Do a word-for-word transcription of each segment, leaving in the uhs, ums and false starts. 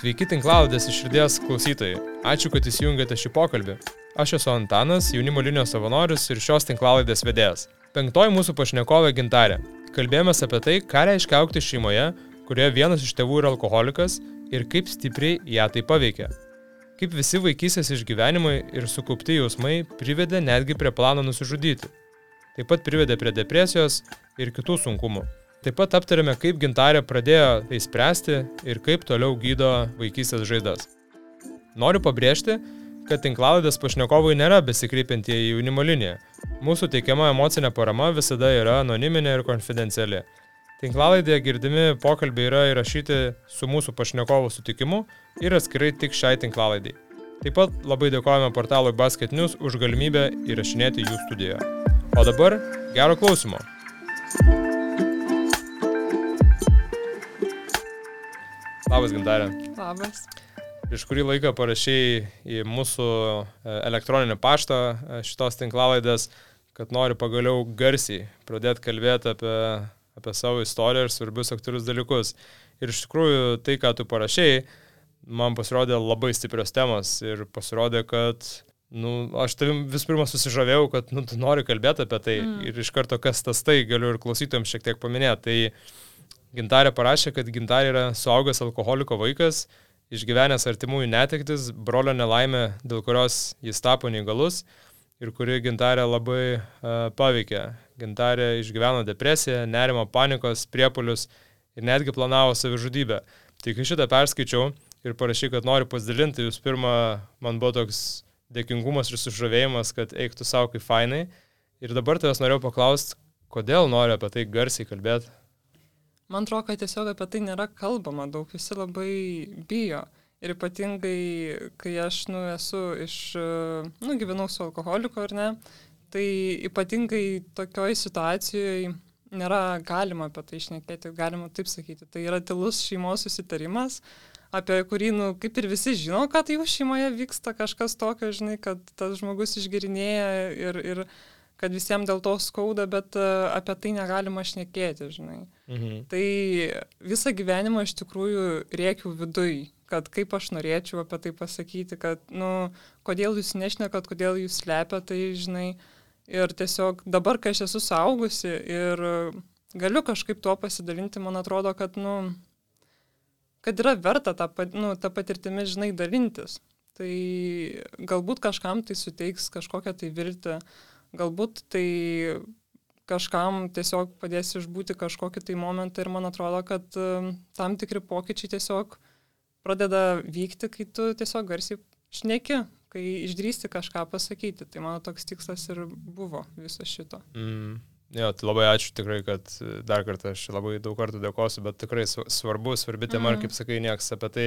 Sveiki tinklalaidės iš širdies klausytojai. Ačiū, kad įsijungėte šį pokalbį. Aš esu Antanas, jaunimo linijos savanoris ir šios tinklalaidės vedėjas. Penktoji mūsų pašnekovė Gintarė. Kalbėjomės apie tai, ką reiškia augti šeimoje, kurioje vienas iš tėvų yra alkoholikas ir kaip stipriai ją tai paveikia. Kaip visi vaikystės išgyvenimai ir sukaupti jausmai privedė netgi prie plano nusižudyti. Taip pat privedė prie depresijos ir kitų sunkumų. Taip pat aptarėme, kaip Gintarė pradėjo tai spręsti ir kaip toliau gydo vaikystės žaizdas. Noriu pabrėžti, kad tinklalaidės pašnekovai nėra besikreipiantieji į jaunimo liniją. Mūsų teikiama emocinė parama visada yra anoniminė ir konfidenciali. Tinklalaidėje girdimi pokalbiai yra įrašyti su mūsų pašnekovų sutikimu ir atskirai tik šiai tinklalaidai. Taip pat labai dėkojame portalui Basket News už galimybę įrašinėti jų studijoje. O dabar gero klausymo. Labas, Gintarė. Labas. Prieš kurį laiką parašėjai į mūsų elektroninį paštą šitos tinklalaidės, kad nori pagaliau garsiai pradėti kalbėti apie, apie savo istoriją ir svarbius aktualius dalykus. Ir iš tikrųjų tai, ką tu parašėjai, man pasirodė labai stiprios temos ir pasirodė, kad nu, aš tavim vis pirma susižavėjau, kad nu, tu nori kalbėti apie tai mm. ir iš karto kas tas tai, galiu ir klausytojams šiek tiek paminėti. Tai Gintarė parašė, kad Gintarė yra suaugęs alkoholiko vaikas, išgyvenęs artimųjų netektis, brolio nelaimė, dėl kurios jis tapo neįgalus ir kuri Gintarė labai uh, paveikė. Gintarė išgyveno depresiją, nerimo, panikos, priepuolius ir netgi planavo savižudybę. Tai kai šitą perskaičiau ir parašy, kad noriu pasidalinti, jūs pirma, man buvo toks dėkingumas ir sužavėjimas, kad eik tu savo kaip fainai. Ir dabar tavęs norėjau paklausti, kodėl nori apie tai garsiai kalbėti. Man atrodo, kad tiesiog apie tai nėra kalbama daug, visi labai bijo. Ir ypatingai, kai aš nu, esu iš, nu, gyvenau su alkoholiku ar ne, tai ypatingai tokioj situacijoje nėra galima apie tai šnekėti, galima taip sakyti. Tai yra tylus šeimos susitarimas, apie kurį, nu, kaip ir visi žino, kad jų šeimoje vyksta kažkas tokio, žinai, kad tas žmogus išgerinėja ir, ir kad visiems dėl to skauda, bet uh, apie tai negalima šnekėti, žinai. Mhm. Tai visą gyvenimą iš tikrųjų rėkiau viduj, kad kaip aš norėčiau apie tai pasakyti, kad, nu, kodėl jūs nešnekat, kodėl jūs slepia, tai, žinai, ir tiesiog dabar, kai aš esu suaugusi ir galiu kažkaip tuo pasidalinti, man atrodo, kad, nu, kad yra verta tą, nu, tą patirtimį, žinai, dalintis. Tai galbūt kažkam tai suteiks kažkokią tai viltį, galbūt tai kažkam tiesiog padės išbūti kažkokį tai momentą ir man atrodo, kad um, tam tikri pokyčiai tiesiog pradeda vykti, kai tu tiesiog garsiai šneki, kai išdrįsti kažką pasakyti. Tai mano toks tikslas ir buvo viso šito. Mm. Jo, tai labai ačiū tikrai, kad dar kartą aš labai daug kartų dėkosiu, bet tikrai svarbu, svarbi tema, mm. ir kaip sakai, nieks apie tai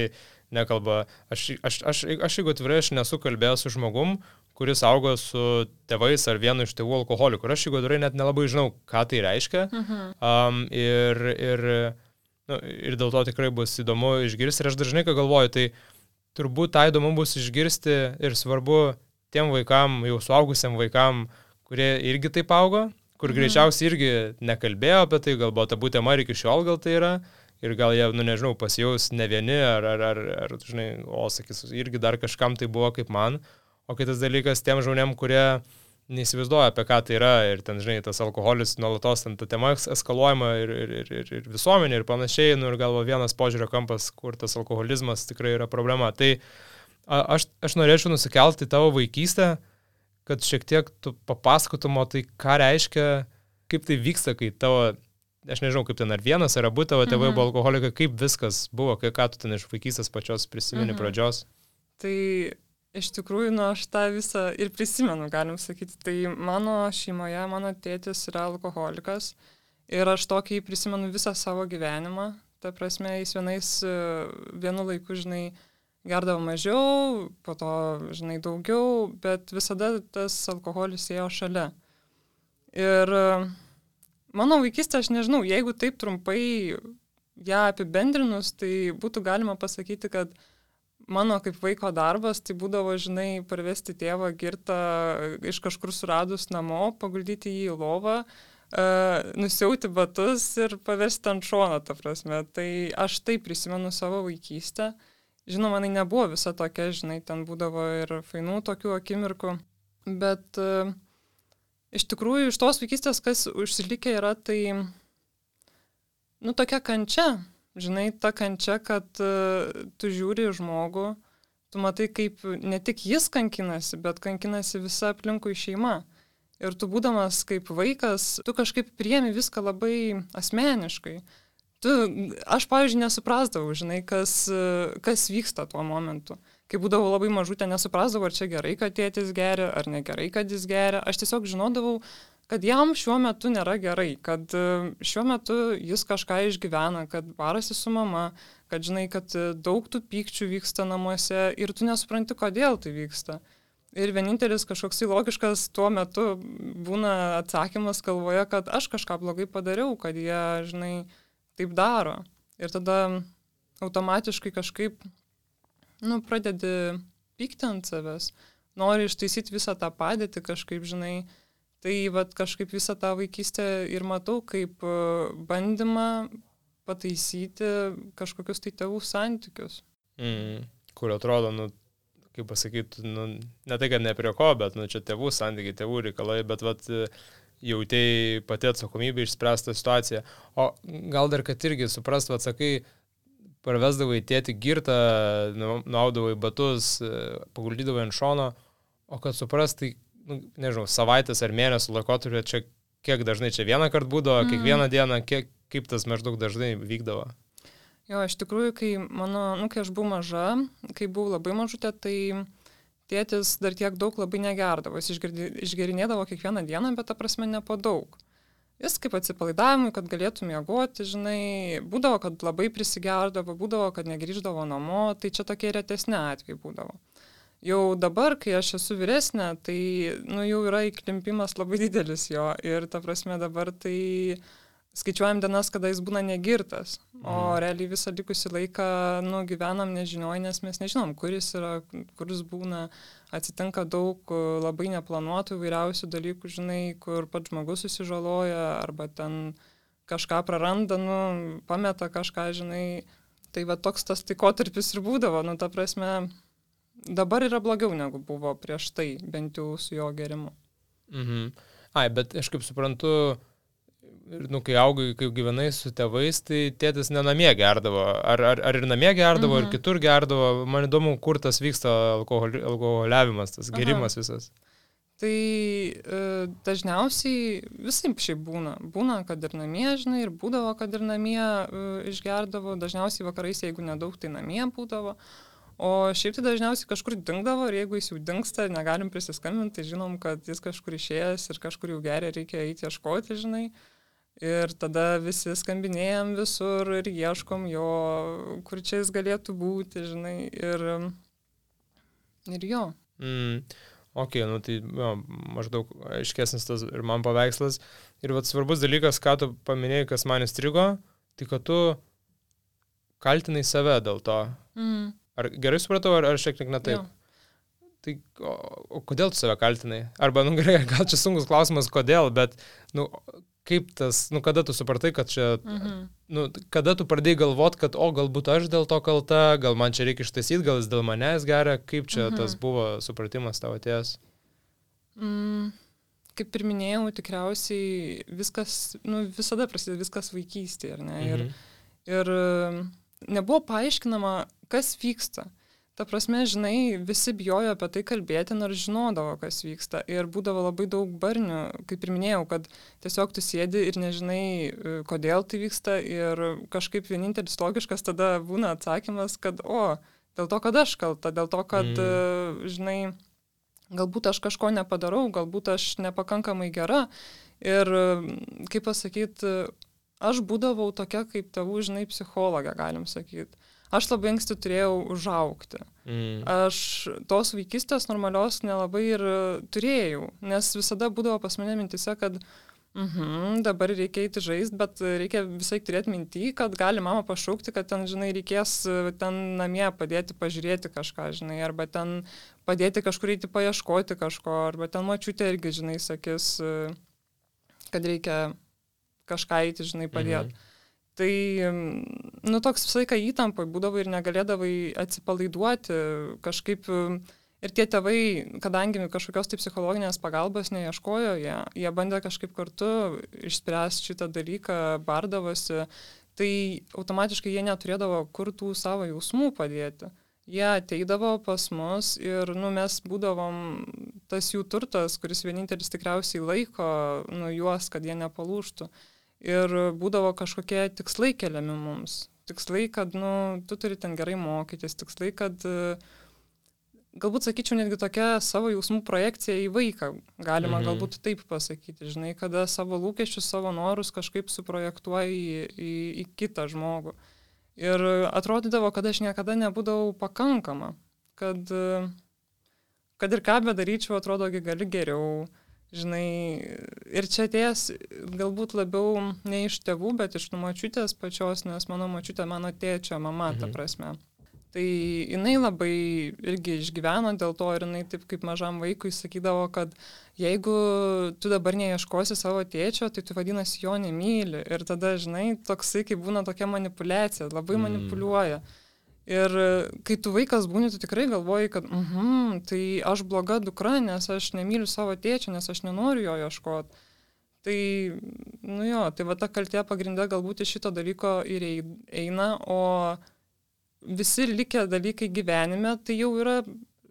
nekalba. Aš, aš, aš, aš jeigu atvirai, aš nesu kalbėjęs su žmogum, kuris augo su tėvais ar vienu iš tėvų alkoholikų. Aš jeigu atvirai net nelabai žinau, ką tai reiškia. Mm-hmm. Um, ir, ir, nu, ir dėl to tikrai bus įdomu išgirsti. Ir aš dažnai, ką galvoju, tai turbūt tą įdomu bus išgirsti ir svarbu tiem vaikam, jau suaugusiam vaikam, kurie irgi taip augo, kur mhm. greičiausiai irgi nekalbėjo apie tai, galbūt ta būtema ir iki šiol gal tai yra, ir gal jie, nu nežinau, pasijaus ne vieni, ar, ar, ar, ar žinai, o sakys, irgi dar kažkam tai buvo kaip man, o kitas dalykas tiem žmonėm, kurie neįsivaizduoja, apie ką tai yra, ir ten, žinai, tas alkoholis nuolatos, ten ta tema eskaluojama ir, ir, ir, ir visuomenė ir panašiai, nu ir galvo vienas požiūrio kampas, kur tas alkoholizmas tikrai yra problema. Tai aš, aš norėčiau nusikelti tavo vaikystę, kad šiek tiek tu papasakotum, tai ką reiškia, kaip tai vyksta, kai tavo, aš nežinau, kaip ten ar vienas, ar abu tavo tėvai mhm. buvo alkoholikai, kaip viskas buvo, kai ką tu ten iš vaikystės pačios prisimeni mhm. pradžios. Tai iš tikrųjų, nu, aš tą visą ir prisimenu, galim sakyti. Tai mano šeimoje, mano tėtis yra alkoholikas ir aš tokį prisimenu visą savo gyvenimą. Ta prasme, jis vienais, vienu laiku, žinai, gerdavo mažiau, po to, žinai, daugiau, bet visada tas alkoholis ėjo šalia. Ir mano vaikystė, aš nežinau, jeigu taip trumpai ją apibendrinus, tai būtų galima pasakyti, kad mano kaip vaiko darbas, tai būdavo, žinai, parvesti tėvą girtą iš kažkur suradus namo, paguldyti jį į lovą, uh, nusiauti batus ir paversti ant šono, ta prasme. Tai aš tai prisimenu savo vaikystę. žinoma, jinai nebuvo visa tokia, žinai, ten būdavo ir fainų tokių akimirkų, bet uh, iš tikrųjų iš tos vaikystės, kas užsilikę yra, tai, nu, tokia kančia, žinai, ta kančia, kad uh, tu žiūri žmogų, tu matai, kaip ne tik jis kankinasi, bet kankinasi visa aplinkui šeima. Ir tu būdamas kaip vaikas, tu kažkaip priemi viską labai asmeniškai. Tu, aš, pavyzdžiui, nesuprasdavau, žinai, kas, kas vyksta tuo momentu. Kai būdavau labai mažutė, nesuprasdavau, ar čia gerai, kad tėtis geria, ar negerai, kad jis geria. Aš tiesiog žinodavau, kad jam šiuo metu nėra gerai, kad šiuo metu jis kažką išgyvena, kad barasi su mama, kad žinai, kad daug tų pykčių vyksta namuose ir tu nesupranti, kodėl tai vyksta. Ir vienintelis kažkoks logiškas tuo metu būna atsakymas galvoje, kad aš kažką blogai padariau, kad jie, žinai, taip daro. Ir tada automatiškai kažkaip, nu, pradedi pykti ant savęs, nori ištaisyti visą tą padėtį kažkaip, žinai. Tai vat kažkaip visą tą vaikystę ir matau kaip bandymą pataisyti kažkokius tai tėvų santykius. Mm, kur atrodo, nu, kaip pasakyti, nu, ne tai, kad ne prie ko, bet, nu, čia tėvų santykiai, tėvų reikalai, bet, vat, jautėjai pati atsakomybė išspręsta situacija. O gal dar, kad irgi suprast, vat, sakai, parvesdavai tėtį girtą, nuaudavai batus, paguldydavai ant šono, o kad suprast, tai, nu, nežinau, savaitės ar mėnesio laikotarpio, čia kiek dažnai čia vieną kartą būdavo, mm. kiekvieną dieną, kiek, kaip tas maždaug dažnai vykdavo? Jo, iš tikrųjų, kai mano, nu, kai aš buvau maža, kai buvau labai mažutė, tai tėtis dar tiek daug labai negerdavo. Jis išgerinėdavo kiekvieną dieną, bet ta prasme ne po daug. Jis kaip atsipalaidavimui, kad galėtų miegoti, žinai, būdavo, kad labai prisigerdavo, būdavo, kad negrįždavo namo, tai čia tokie retesni atvejai būdavo. Jau dabar, kai aš esu vyresnė, tai, nu, jau yra įklimpimas labai didelis jo ir ta prasme dabar tai skaičiuojam dienas, kada jis būna negirtas, o mm. realiai visą likusį laiką, nu, gyvenam nežinoj, nes mes nežinom, kur jis yra, kur jis būna, atsitinka daug labai neplanuotų įvairiausių dalykų, žinai, kur pats žmogus susižaloja, arba ten kažką praranda, nu, pameta kažką, žinai, tai va toks tas laikotarpis ir būdavo, nu, ta prasme, dabar yra blogiau negu buvo prieš tai, bent jau su jo gerimu. Mhm. Ai, bet aš kaip suprantu, ir, nu, kai augai, kai gyvenai su tėvais, tai tėtis ne namie gerdavo. Ar, ar, ar ir namie gerdavo, mhm. ir kitur gerdavo. Man įdomu, kur tas vyksta alkoholi, alkoholiavimas, tas gerimas Aha. visas. Tai e, dažniausiai visai šiaip būna. Būna, kad ir namie, žinai, ir būdavo, kad ir namie e, išgerdavo. Dažniausiai vakarais, jeigu nedaug, tai namie būdavo. O šiaip tai dažniausiai kažkur dingdavo ir jeigu jis jau dingsta, negalim prisiskambinti, tai žinom, kad jis kažkur išėjęs ir kažkur jau geria, reikia eiti ieškoti, žinai. Ir tada visi skambinėjom visur ir ieškom jo, kur čia jis galėtų būti, žinai, ir, ir jo. Mm, ok, nu tai jo, maždaug aiškesnis tas ir man paveikslas. Ir vat svarbus dalykas, ką tu paminėjai, kas man įstrigo, tai kad tu kaltinai save dėl to. Mm. Ar gerai supratau, ar, ar šiek tiek ne taip? Jo. Tai o, o kodėl tu save kaltinai? Arba, nu gerai, gal čia sunkus klausimas, kodėl, bet, nu, kaip tas, nu, kada tu supratai, kad čia, mhm. nu, kada tu pradėjai galvot, kad, o, galbūt aš dėl to kalta, gal man čia reikia ištaisyti, gal jis dėl manęs geria, kaip čia mhm. tas buvo supratimas tavo atėjęs? Mm, kaip ir minėjau, tikriausiai viskas, nu, visada prasideda viskas vaikystėje, ar ne? Mhm. Ir, ir nebuvo paaiškinama, kas vyksta. Ta prasme, žinai, visi bijojo apie tai kalbėti, nors žinodavo, kas vyksta. Ir būdavo labai daug barnių, kaip ir minėjau, kad tiesiog tu sėdi ir nežinai, kodėl tai vyksta. Ir kažkaip vienintelis logiškas tada būna atsakymas, kad, o, dėl to, kad aš kalta, dėl to, kad, mm. žinai, galbūt aš kažko nepadarau, galbūt aš nepakankamai gera. Ir, kaip pasakyti, aš būdavau tokia kaip tėvų, žinai, psichologė, galim sakyti. Aš labai anksti turėjau užaugti. Mm. Aš tos vaikystės normalios nelabai ir turėjau, nes visada būdavo pas mane mintise, kad mhm, dabar reikia eiti žaisti, bet reikia visai turėti mintį, kad gali mama pašaukti, kad ten, žinai, reikės ten namie padėti pažiūrėti kažką, žinai, arba ten padėti kažkur eiti paieškoti kažko, arba ten močiutė irgi, žinai, sakys, kad reikia kažką eiti, žinai, padėti. Mhm. Tai nu, toks visą laiką įtampai būdavo ir negalėdavai atsipalaiduoti kažkaip. Ir tie tėvai, kadangi kažkokios tai psichologinės pagalbos neieškojo, jie, jie bandė kažkaip kartu išspręsti šitą dalyką, bardavosi, tai automatiškai jie neturėdavo kur tų savo jausmų padėti. Jie ateidavo pas mus ir nu, mes būdavom tas jų turtas, kuris vienintelis tikriausiai laiko nu, juos, kad jie nepalūžtų. Ir būdavo kažkokie tikslai keliami mums. Tikslai, kad nu, tu turi ten gerai mokytis, tikslai, kad galbūt sakyčiau netgi tokia savo jausmų projekcija į vaiką, galima mhm. galbūt taip pasakyti, žinai, kada savo lūkesčius, savo norus kažkaip suprojektuoji į, į, į kitą žmogų. Ir atrodydavo, kad aš niekada nebūdavau pakankama, kad, kad ir ką bedaryčiau, atrodo, gali geriau, žinai, ir čia atėjęs galbūt labiau ne iš tėvų, bet iš močiutės pačios, nes mano močiutė mano tėčio mama, mhm. ta prasme. Tai jinai labai irgi išgyveno dėl to ir jinai taip kaip mažam vaikui sakydavo, kad jeigu tu dabar neieškosi savo tėčio, tai tu vadinasi jo nemyli. Ir tada, žinai, toksai kaip būna tokia manipulacija, labai mm. manipuliuoja. Ir kai tu vaikas būni, tu tikrai galvoji, kad mhm, tai aš bloga dukra, nes aš nemyliu savo tėčio, nes aš nenoriu jo ieškoti. Tai, nu jo, tai va ta kaltė pagrindė galbūt iš šito dalyko ir eina, o visi likę dalykai gyvenime, tai jau yra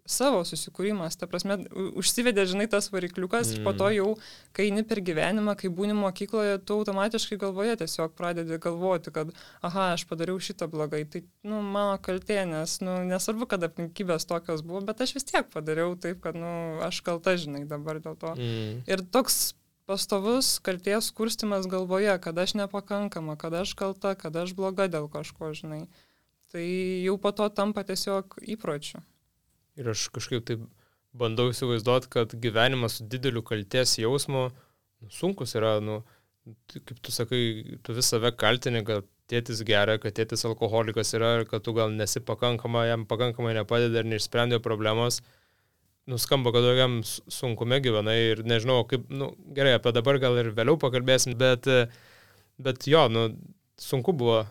savo susikūrimas. Ta prasme, užsivedė, žinai, tas varikliukas mm. ir po to jau, kai eini per gyvenimą, kai būni mokykloje, tu automatiškai galvoje tiesiog pradedi galvoti, kad aha, aš padariau šitą blogai. Tai, nu, mano kaltė, nes, nu, nesvarbu, kad aplinkybės tokios buvo, bet aš vis tiek padariau taip, kad, nu, aš kalta, žinai, dabar dėl to. Mm. Ir toks pastovus kaltės kurstimas galvoje, kad aš nepakankama, kad aš kalta, kad aš bloga dėl kažko, žinai. Tai jau po to tampa tiesiog įpročiu. Ir aš kažkaip taip bandau įsivaizduoti, kad gyvenimas su dideliu kaltės jausmu nu, sunkus yra, nu, kaip tu sakai, tu vis save kaltini, kad tėtis geria, kad tėtis alkoholikas yra ir kad tu gal nesi pakankama, jam pakankamai nepadeda ir neišsprendė problemos. Nuskamba, kad tokiam sunkume gyvenai ir nežinau, kaip, nu, gerai, apie dabar gal ir vėliau pakalbėsim, bet, bet jo, nu, sunku buvo.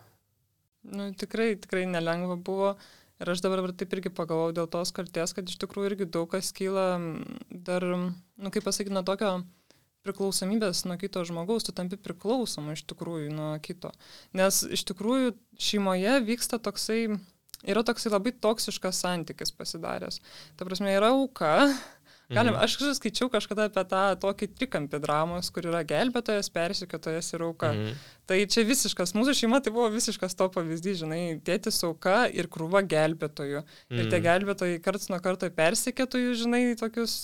Nu, tikrai, tikrai nelengva buvo ir aš dabar taip irgi pagalvojau dėl tos kaltės, kad iš tikrųjų irgi daug kas kyla dar, nu, kaip pasakyti, nuo tokio priklausomybės nuo kito žmogaus, tu tampi priklausoma iš tikrųjų nuo kito. Nes iš tikrųjų šeimoje vyksta toksai, yra toksai labai toksiškas santykis pasidaręs. Ta prasme, yra auka. Galim, aš skaičiau kažkada apie tą tokį trikampį dramos, kur yra gelbėtojas, persekiotojas ir auka. Mm. Tai čia visiškas, mūsų šeima tai buvo visiškas to pavyzdys, žinai, tėtis auka ir krūva gelbėtojų. Mm. Ir tie gelbėtojai karts nuo karto persekiotojų, žinai, tokius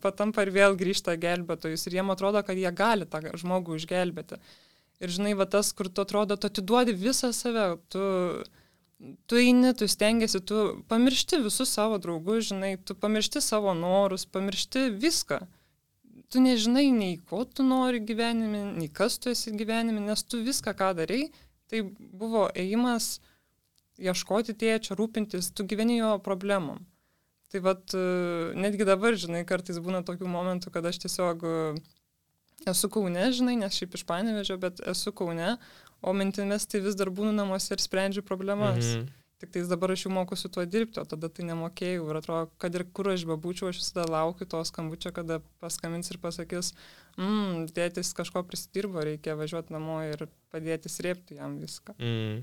patampa ir vėl grįžta gelbėtojus. Ir jiem atrodo, kad jie gali tą žmogų išgelbėti. Ir žinai, va tas, kur tu atrodo, tu atiduodi visą save, tu... Tu eini, tu stengiasi, tu pamiršti visus savo draugus, žinai, tu pamiršti savo norus, pamiršti viską. Tu nežinai nei ko tu nori gyvenime, nei kas tu esi gyvenime, nes tu viską, ką darai, tai buvo ėjimas ieškoti tėčio, rūpintis, tu gyveni jo problemom. Tai vat, netgi dabar, žinai, kartais būna tokių momentų, kad aš tiesiog esu Kaune, žinai, nes šiaip iš Panevėžio, bet esu Kaune, o mintimis tai vis dar būnu namuose ir sprendžiu problemas. Mhm. Tik tais dabar aš jau mokusiu tuo dirbti, o tada tai nemokėjau. Ir atrodo, kad ir kur aš bebūčiau, aš visada laukiu to skambučio, kada paskambins ir pasakys, mmm, tėtis kažko prisidirbo, reikia važiuoti namo ir padėti srėpti jam viską. Mm.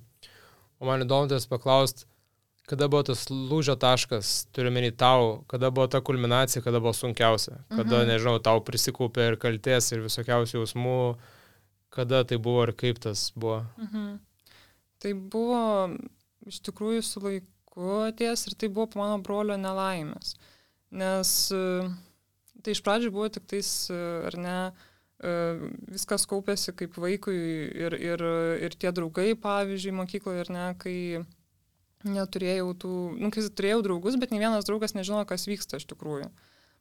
O man įdomu tas paklaust, kada buvo tas lūžio taškas, turiu menį tau, kada buvo ta kulminacija, kada buvo sunkiausia, kada, mhm. nežinau, tau prisikaupė ir kaltės ir visokiausių jausmų, kada tai buvo ir kaip tas buvo? Mhm. Tai buvo iš tikrųjų su laiku atėjęs ir tai buvo po mano brolio nelaimės. Nes tai iš pradžių buvo tik tais, ar ne, viskas kaupėsi kaip vaikui ir, ir, ir tie draugai, pavyzdžiui, mokykloje, ar ne, kai neturėjau tų, nu, kai turėjau draugus, bet ne vienas draugas nežino, kas vyksta iš tikrųjų.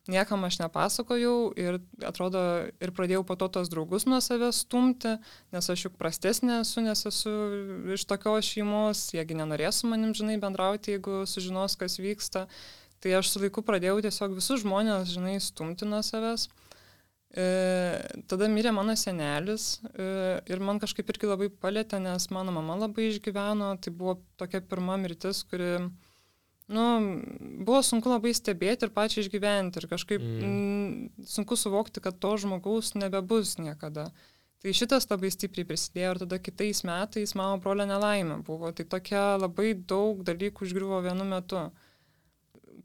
Niekam aš nepasakojau ir atrodo ir pradėjau po to tos draugus nuo savęs stumti, nes aš juk prastesnė esu, nes esu iš tokios šeimos, jiegi nenorės su manim, žinai, bendrauti, jeigu sužinos, kas vyksta. Tai aš su laiku pradėjau tiesiog visus žmonės, žinai, stumti nuo savęs. E, tada mirė mano senelis e, ir man kažkaip irgi labai palėtė, nes mano mama labai išgyveno, tai buvo tokia pirma mirtis, kuri, nu, buvo sunku labai stebėti ir pačiai išgyventi ir kažkaip mm. m, sunku suvokti, kad to žmogaus nebebus niekada. Tai šitas labai stipriai prisidėjo ir tada kitais metais mano brolio nelaimė buvo, tai tokia labai daug dalykų užgriuvo vienu metu.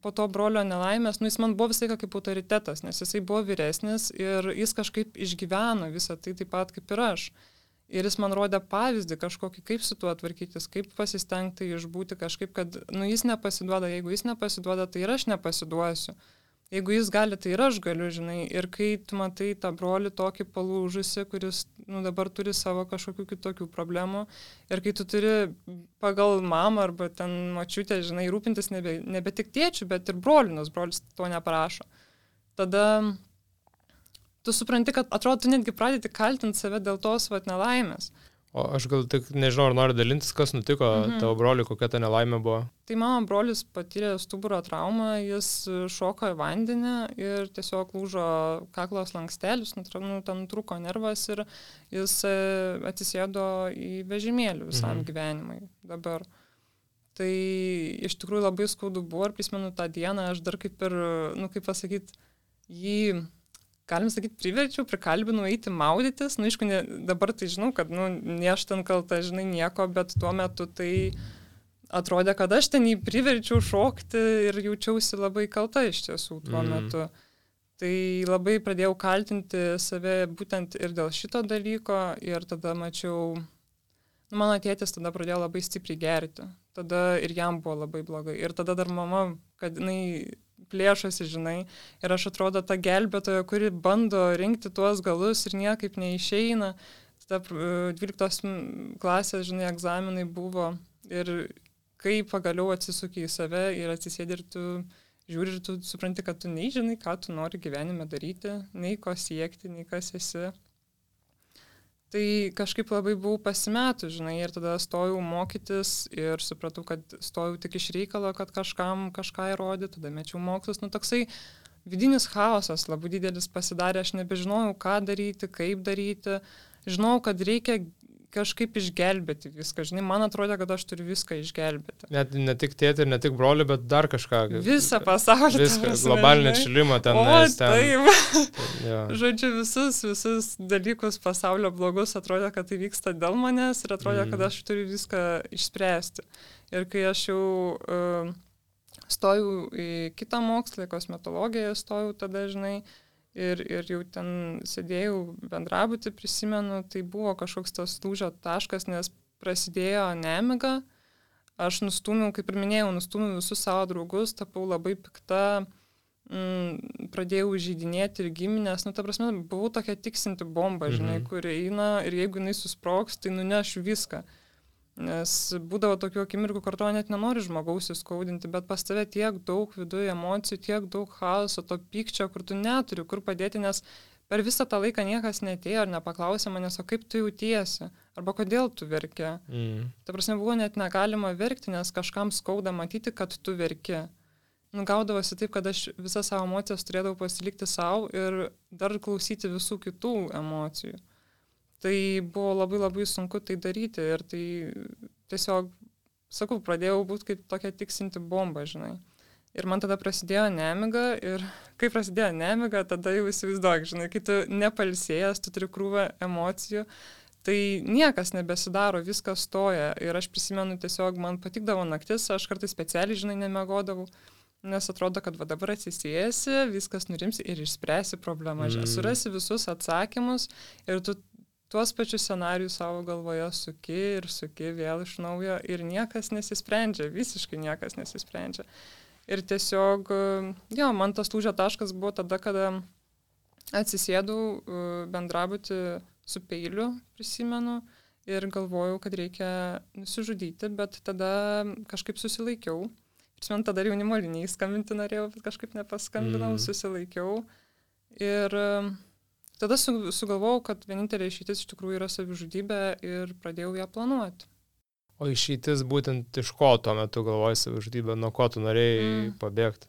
Po to brolio nelaimės, nu jis man buvo visai kaip autoritetas, nes jisai buvo vyresnis ir jis kažkaip išgyveno visą tai taip pat kaip ir aš. Ir jis man rodė pavyzdį kažkokį, kaip su tuo tvarkytis, kaip pasistengti išbūti kažkaip, kad nu jis nepasiduoda, jeigu jis nepasiduoda, tai ir aš nepasiduosiu. Jeigu jis gali, tai ir aš galiu, žinai. Ir kai tu matai tą brolį tokį palūžusi, kuris nu, dabar turi savo kažkokių kitokių problemų, ir kai tu turi pagal mamą arba ten močiutę, žinai, rūpintis nebe, nebe tik tėčiu, bet ir broliu, nes brolis to neprašo. Tada tu supranti, kad atrodo, tu netgi pradėti kaltinti save dėl tos vat nelaimės. O aš gal tik nežinau, ar nori dalintis, kas nutiko mhm. tavo broliui, kokia ta nelaimė buvo. Tai mano brolis patyrė stuburo traumą, jis šoko į vandenį ir tiesiog lūžo kaklo slankstelis, nu, ten trūko nervas ir jis atsisėdo į vežimėlį visam mhm. gyvenimui dabar. Tai iš tikrųjų labai skaudu buvo ir prisimenu tą dieną, aš dar kaip ir, nu kaip pasakyti, jį... Galim sakyti, priverčiau, prikalbinau eiti maudytis. Nu, aišku, ne, dabar tai žinau, kad, nu, ne aš ten kalta, žinai, nieko, bet tuo metu tai atrodė, kad aš ten jį priverčiau šokti ir jaučiausi labai kalta iš tiesų tuo mm. metu. Tai labai pradėjau kaltinti save būtent ir dėl šito dalyko ir tada mačiau, nu, mano tėtis tada pradėjo labai stipriai gerti. Tada ir jam buvo labai blogai. Ir tada dar mama, kad jinai plėšosi, žinai, ir aš atrodo ta gelbėtoja, kuri bando rinkti tuos galus ir niekaip neišeina. Tada dvyliktos klasės, žinai, egzaminai buvo ir kai pagaliau atsisuki į save ir atsisėdi ir tu žiūri ir tu supranti, kad tu nei žinai, ką tu nori gyvenime daryti, nei ko siekti, nei kas esi. Tai kažkaip labai buvau pasimetų, žinai, ir tada stojau mokytis ir supratau, kad stojau tik iš reikalo, kad kažkam kažką įrodyti, tada mečiau mokslus, nu toksai vidinis chaosas labai didelis pasidarė, aš nebežinojau, ką daryti, kaip daryti, žinau, kad reikia kažkaip išgelbėti viską, žinai, man atrodė, kad aš turiu viską išgelbėti. Net ne tik tėtį ir ne tik brolį, bet dar kažką. Visą pasaulį. Viską, globalinį atšilimą ten. O, nes, ten, taip. Ja. Žodžiu, visus, visus dalykus pasaulio blogus atrodė, kad tai vyksta dėl manęs ir atrodė, mm. kad aš turiu viską išspręsti. Ir kai aš jau uh, stojau į kitą mokslą, kosmetologiją stojau tada, žinai, Ir, ir jau ten sėdėjau bendrabutį, prisimenu, tai buvo kažkoks tas lūžio taškas, nes prasidėjo nemiga, aš nustūmiau, kaip ir minėjau, nustūmiau visus savo draugus, tapau labai pikta, mm, pradėjau žydinėti ir giminės, nu ta prasme, buvau tokia tiksinti bomba, žinai, mhm. kur eina ir jeigu jinai susprogs, tai nuneš viską. Nes būdavo tokių akimirkų, kur to net nenori žmogaus įskaudinti, bet pas tave tiek daug viduje emocijų, tiek daug chaoso, to pykčio, kur tu neturi, kur padėti, nes per visą tą laiką niekas netėjo ir nepaklausė manęs, o kaip tu jautiesi, arba kodėl tu verki. Mm. Ta prasme, buvo net negalima verkti, nes kažkam skauda matyti, kad tu verki. Nu, gaudavosi taip, kad aš visas savo emocijas turėdavau pasilikti savo ir dar klausyti visų kitų emocijų. Tai buvo labai labai sunku tai daryti ir tai tiesiog, sakau, pradėjau būti kaip tokia tiksinti bomba, žinai. Ir man tada prasidėjo nemiga ir kai prasidėjo nemiga, tada jau įsivaizduok, žinai, kai tu nepalsėjęs, tu turi krūvą emocijų, tai niekas nebesidaro, viskas stoja. Ir aš prisimenu tiesiog, man patikdavo naktis, aš kartais specialiai, žinai, nemegodavau, nes atrodo, kad va dabar atsisėsi, viskas nurimsi ir išspręsi problemą, mm. surasi visus atsakymus ir tu tuos pačius scenarijus savo galvoje suki ir suki vėl iš naujo ir niekas nesisprendžia, visiškai niekas nesisprendžia. Ir tiesiog, jo, man tas lūžio taškas buvo tada, kada atsisėdau bendrabutį su peiliu, prisimenu, ir galvojau, kad reikia nusižudyti, bet tada kažkaip susilaikiau. Prisimenu, tada jaunimo linijai skambinti norėjau, bet kažkaip nepaskambinau, mm. susilaikiau. Ir tada sugalvojau, kad vienintelė išeitis iš tikrųjų yra savižudybė ir pradėjau ją planuoti. O išeitis būtent iš ko tuo metu galvojai savižudybę, nuo ko tu norėjai mm. pabėgti?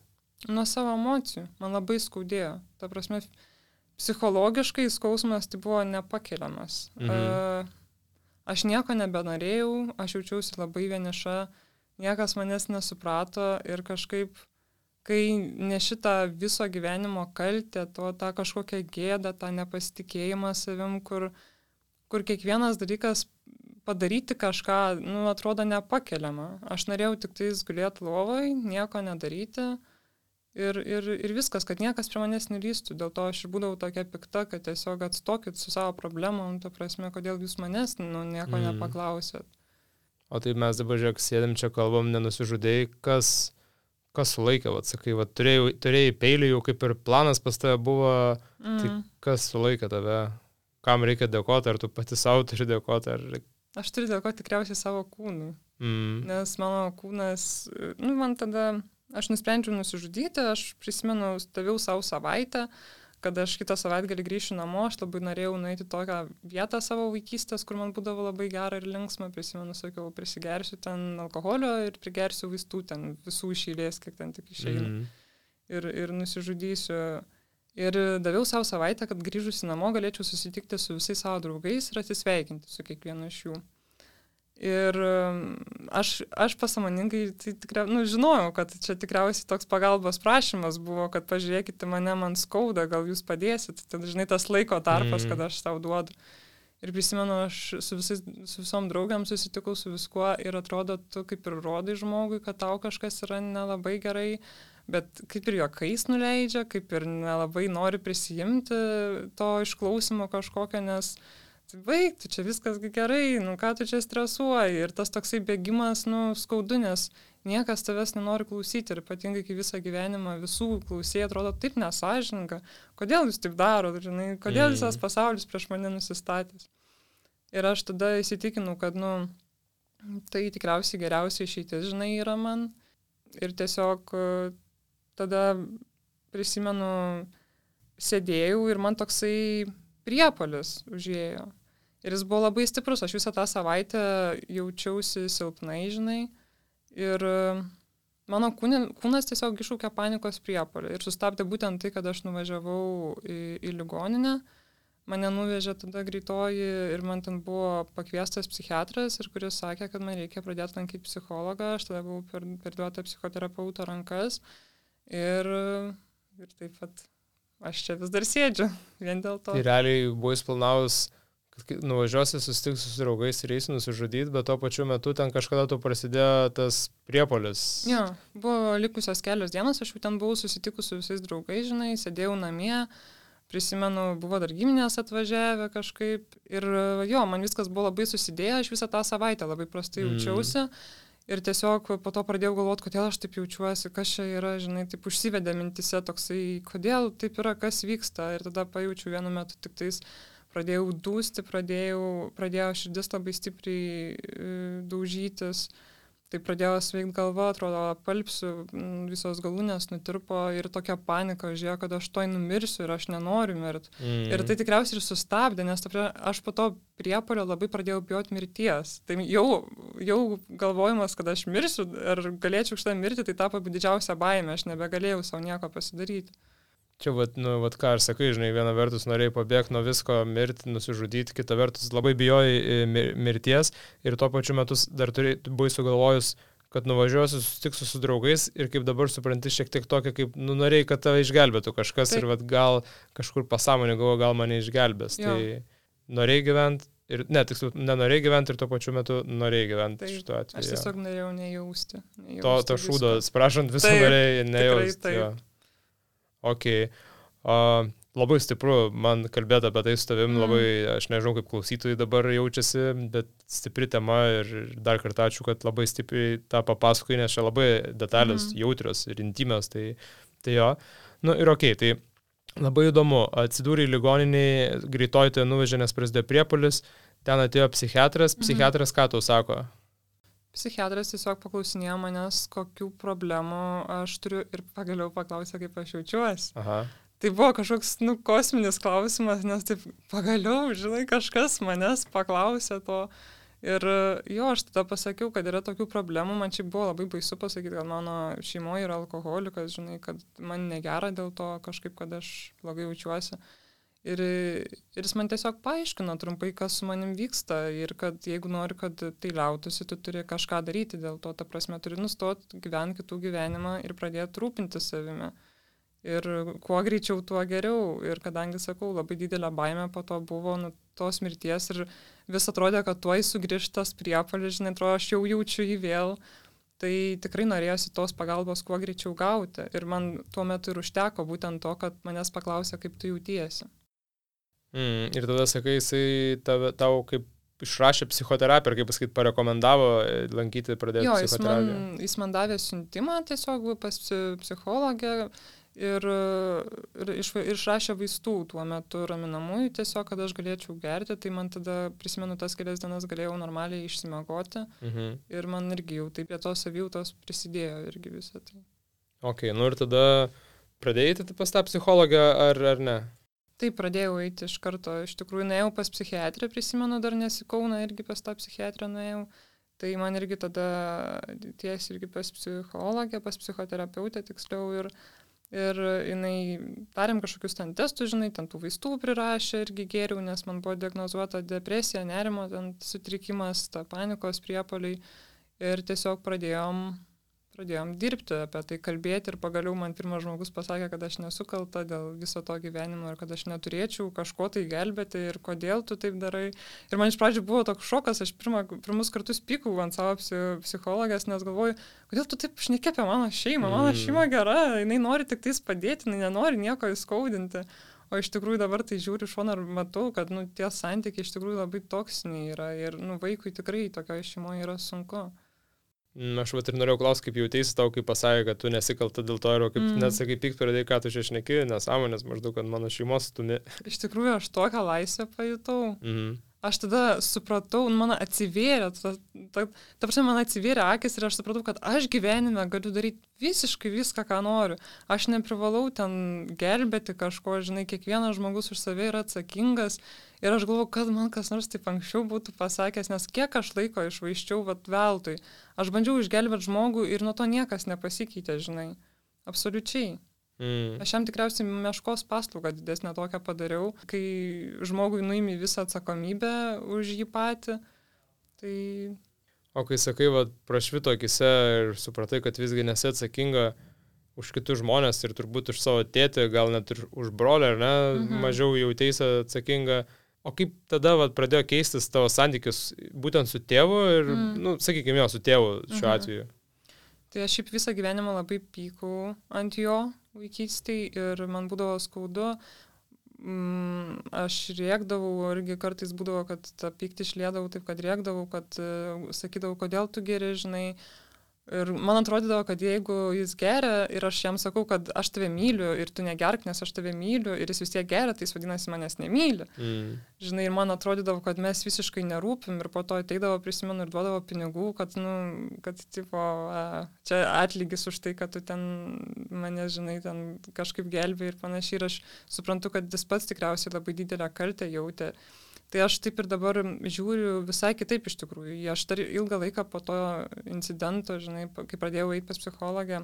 Nuo savo emocijų. Man labai skaudėjo. Ta prasme, psichologiškai skausmas tai buvo nepakeliamas. Mhm. Uh, aš nieko nebenorėjau, aš jaučiausi labai vieniša, niekas manęs nesuprato ir kažkaip, kai ne šitą viso gyvenimo kaltę, to tą kažkokią gėdą, tą nepasitikėjimą savim, kur, kur kiekvienas dalykas padaryti kažką, nu, atrodo nepakeliama. Aš norėjau tik tais gulėti lovoj, nieko nedaryti ir, ir, ir viskas, kad niekas prie manęs nelystų. Dėl to aš ir būdavau tokia pikta, kad tiesiog atstokit su savo problemom, ta prasme, kodėl jūs manęs, nu, nieko mm. nepaklausėt. O tai mes dabar, žiūrėk, sėdėm čia kalbam, nenusižudėjai, kas, kas sulaikė, vat, sakai, vat, turėjai, turėjai peilį, jau kaip ir planas pas tave buvo, mm. tai kas sulaikė tave, kam reikia dėkoti, ar tu pati savo turi dėkoti, ar... Aš turiu dėkoti tikriausiai savo kūnui, mm. nes mano kūnas, nu, man tada, aš nusprendžiau nusižudyti, aš prisimenu, stovėjau savo savaitę, kad aš kitą savaitgalį grįšiu namo, aš labai norėjau nueiti tokią vietą savo vaikystės, kur man būdavo labai gera ir linksma, prisimenu, sakiau, prisigersiu ten alkoholio ir prigersiu vaistų ten visų iš eilės, kiek ten tik išeina. Mm. Ir, ir nusižudysiu. Ir daviau savo savaitę, kad grįžusi namo galėčiau susitikti su visais savo draugais ir atsisveikinti su kiekvienu iš jų. Ir aš, aš pasąmoningai tai tikrai, nu, žinojau, kad čia tikriausiai toks pagalbos prašymas buvo, kad pažiūrėkite mane, man skauda, gal jūs padėsit. Tai žinai, tas laiko tarpas, mm. kad aš tau duodu. Ir prisimenu, aš su, visais, su visom draugiam susitikau su viskuo ir atrodo, tu kaip ir rodai žmogui, kad tau kažkas yra nelabai gerai, bet kaip ir juokais nuleidžia, kaip ir nelabai nori prisijimti to išklausimo kažkokio, nes baig, tu čia viskas gerai, nu ką tu čia stresuoji. Ir tas toksai bėgimas, nu, skaudu, nes niekas tavęs nenori klausyti ir ypatingai, kai visą gyvenimą visų klausėjai atrodo taip nesąžininga. Kodėl jūs taip darot, žinai, kodėl mm. visas pasaulis prieš mane nusistatęs. Ir aš tada įsitikinau, kad, nu, tai tikriausiai geriausia išeitis, žinai, yra man. Ir tiesiog tada prisimenu, sėdėjau ir man toksai priepuolis užėjo. Ir jis buvo labai stiprus, aš visą tą savaitę jaučiausi silpnai, žinai. Ir mano kūne, kūnas tiesiog iššaukė panikos priepuolį. Ir sustabdė būtent tai, kad aš nuvažiavau į, į ligoninę. Mane nuvežė tada greitoji ir man ten buvo pakviestas psichiatras, ir kuris sakė, kad man reikia pradėti lankyti psichologą. Aš tada buvau per, perduota psichoterapeuto rankas. Ir, ir taip pat aš čia vis dar sėdžiu, vien dėl to. Tai realiai buvo įsplanavus, kad nuvažiuosi, susitiksiu su draugais ir eisi nusižudyti, bet tuo pačiu metu ten kažkada tu prasidėjo tas priepuolis. Jo, buvo likusios kelios dienos, aš jau ten buvau susitikus su visais draugais, žinai, sėdėjau namie, prisimenu, buvo dar giminės atvažiavę kažkaip ir jo, man viskas buvo labai susidėję, aš visą tą savaitę labai prastai jaučiausi. Mm. Ir tiesiog po to pradėjau galvoti, kodėl aš taip jaučiuosi, kas čia yra, žinai, taip užsivedė mintise toksai, kodėl taip yra, kas vyksta. Ir tada pajaučiu vienu metu tik tais, pradėjau dūsti, pradėjau, pradėjo širdis labai stipriai e, daužytis. Tai pradėjo sveikti galva, atrodo, apalpsiu, visos galūnės nutirpo ir tokia panika užėjo, kad aš toj numirsiu ir aš nenoriu mirti. Mm. Ir tai tikriausiai ir sustabdė, nes aš po to priepuolio labai pradėjau bijoti mirties. Tai jau, jau galvojimas, kad aš mirsiu ar galėčiau šitą mirti, tai tapo didžiausia baimė, aš nebegalėjau savo nieko pasidaryti. Čia, vat, nu, vat ką aš sakai, žinai, viena vertus norėjai pabėgti nuo visko, mirti, nusižudyti, kita vertus labai bijojai mirties ir tuo pačiu metu dar turėjai, buvai sugalvojus, kad nuvažiuosiu, susitiksiu su draugais ir kaip dabar supranti šiek tiek tokia, kaip, nu, norėjai, kad tave išgelbėtų kažkas. Taip. Ir vat gal kažkur pasąmonė galvo, gal mane išgelbės. Jo. Tai norėjai gyventi ir, ne, tiksliau, nenorėjai gyventi ir tuo pačiu metu norėjai gyventi šituo atveju. Aš tiesiog norėjau nejausti. nejausti to to šūdo, sprašant, visą norėjai nejausti. Ok, uh, labai stipru man kalbėti apie tai su tavim, mm. labai, aš nežinau, kaip klausytojai dabar jaučiasi, bet stipri tema ir dar kartą ačiū, kad labai stipriai tą papasakoji, nes čia labai detalės, mm. jautrios ir intimios, tai, tai jo. Nu ir ok, tai labai įdomu, atsidūrė į ligoninį, greitoji tai nuvežė, nes prasidėjo priepuolis, ten atėjo psichiatras, psichiatras mm. ką tau sako? Psichiatras tiesiog paklausinėjo manęs, kokių problemų aš turiu ir pagaliau paklausė, kaip aš jaučiuosi. Aha. Tai buvo kažkoks, nu, kosminis klausimas, nes taip pagaliau, žinai, kažkas manęs paklausė to. Ir jo, aš tada pasakiau, kad yra tokių problemų, man čia buvo labai baisu pasakyti, kad mano šeimoje yra alkoholikas, žinai, kad man negera dėl to kažkaip, kad aš blogai jaučiuosi. Ir, ir jis man tiesiog paaiškino trumpai, kas su manim vyksta ir kad jeigu nori, kad tai liautųsi, tu turi kažką daryti dėl to, ta prasme, turi nustoti gyventi kitų gyvenimą ir pradėti rūpinti savimi. Ir kuo greičiau, tuo geriau. Ir kadangi, sakau, labai didelė baimė po to buvo nu, tos mirties ir vis atrodė, kad tuoj sugrįžtas priepuolis, žinai, atrodo, aš jau jaučiu jį vėl. Tai tikrai norėjosi tos pagalbos kuo greičiau gauti. Ir man tuo metu ir užteko būtent to, kad manęs paklausė, kaip tu jautiesi. Mm, ir tada, sakai, jisai tave, tau kaip išrašė psichoterapiją, ar kaip pasakyt, parekomendavo lankyti, pradėti jo, psichoterapiją. Jo, jis, jis man davė siuntimą tiesiog pas psichologę ir, ir iš, išrašė vaistų tuo metu raminamųjų tiesiog, kad aš galėčiau gerti, tai man tada, prisimenu, tas kelias dienas galėjau normaliai išsimegoti mhm. ir man irgi jau taip prie tos savijautos prisidėjo irgi visą tai. Ok, nu ir tada pradėjai pas tą psichologą ar, ar ne? Taip, pradėjau eiti iš karto, iš tikrųjų nuėjau pas psichiatrę, prisimenu, dar nesikauna irgi pas tą psichiatrę nuėjau, tai man irgi tada ties irgi pas psichologę, pas psichoterapeutę tiksliau ir, ir jinai darėm kažkokius ten testus, žinai, ten tų vaistų prirašė irgi geriau, nes man buvo diagnozuota depresija, nerimo, ten sutrikimas, ta panikos priepuoliai ir tiesiog pradėjom Pradėjom dirbti apie tai, kalbėti ir pagaliau man pirmas žmogus pasakė, kad aš nesu kalta dėl viso to gyvenimo ir kad aš neturėčiau kažko tai gelbėti ir kodėl tu taip darai. Ir man iš pradžių buvo toks šokas, aš pirma, pirmus kartus pykau ant savo psichologės, nes galvoju, kodėl tu taip šneki apie mano šeimą, mano šeima gera, jinai nori tik tais padėti, jinai nenori nieko įskaudinti. O iš tikrųjų dabar tai žiūriu šoną ir matau, kad nu, tie santykiai iš tikrųjų labai toksiniai yra ir nu, vaikui tikrai tokioje šeimoje yra sunku. Aš vat ir norėjau klausti, kaip jauteisi tau, kaip pasakė, kad tu nesikalta dėl to ir kaip mm. net sakai, pykt pradėjai, ką tu čia šneki, nesąmonės maždaug, kad mano šeimos stumi. Iš tikrųjų, aš tokią laisvę pajutau. Mhm. Aš tada supratau, man atsivėrė, ta, ta, ta prasme, man atsivėrė akis ir aš supratau, kad aš gyvenime galiu daryti visiškai viską, ką noriu. Aš neprivalau ten gelbėti kažko, žinai, kiekvienas žmogus už save yra atsakingas ir aš galvoju, kad man kas nors taip anksčiau būtų pasakęs, nes kiek aš laiko išvaiščiau vat veltui. Aš bandžiau išgelbėti žmogų ir nuo to niekas nepasikeitė, žinai, absoliučiai. Mm. Aš jam tikriausiai meškos paslaugą didesnę tokią padariau, kai žmogui nuimi visą atsakomybę už jį patį. Tai... O kai sakai, va, prašvito akise ir supratai, kad visgi nesi atsakinga už kitus žmonės ir turbūt už savo tėtį, gal net ir už brolį, ar ne, mhm. mažiau jauteisi atsakinga. O kaip tada va, pradėjo keistis tavo santykius būtent su tėvu ir, mm. nu, sakykime, jo, su tėvu šiuo mhm. atveju? Tai aš šiaip visą gyvenimą labai pykau ant jo vaikystėj ir man būdavo skaudu. Mm, aš rėkdavau, irgi kartais būdavo, kad tą pyktį išliedavau taip, kad rėkdavau, kad uh, sakydavau, kodėl tu geri, žinai. Ir man atrodydavo, kad jeigu jis geria ir aš jam sakau, kad aš tave myliu ir tu negerk, nes aš tave myliu ir jis vis tiek geria, tai jis vadinasi manęs nemyli. Mm. Žinai, ir man atrodydavo, kad mes visiškai nerūpim ir po to ateidavo, prisimenu, ir duodavo pinigų, kad, nu, kad, tipo, a, čia atlygis už tai, kad tu ten mane, žinai, ten kažkaip gelbė ir panašiai. Ir aš suprantu, kad jis pats tikriausiai labai didelę kaltę jautė. Tai aš taip ir dabar žiūriu visai kitaip iš tikrųjų. Aš dar ilgą laiką po to incidento, žinai, kai pradėjau eiti pas psichologę,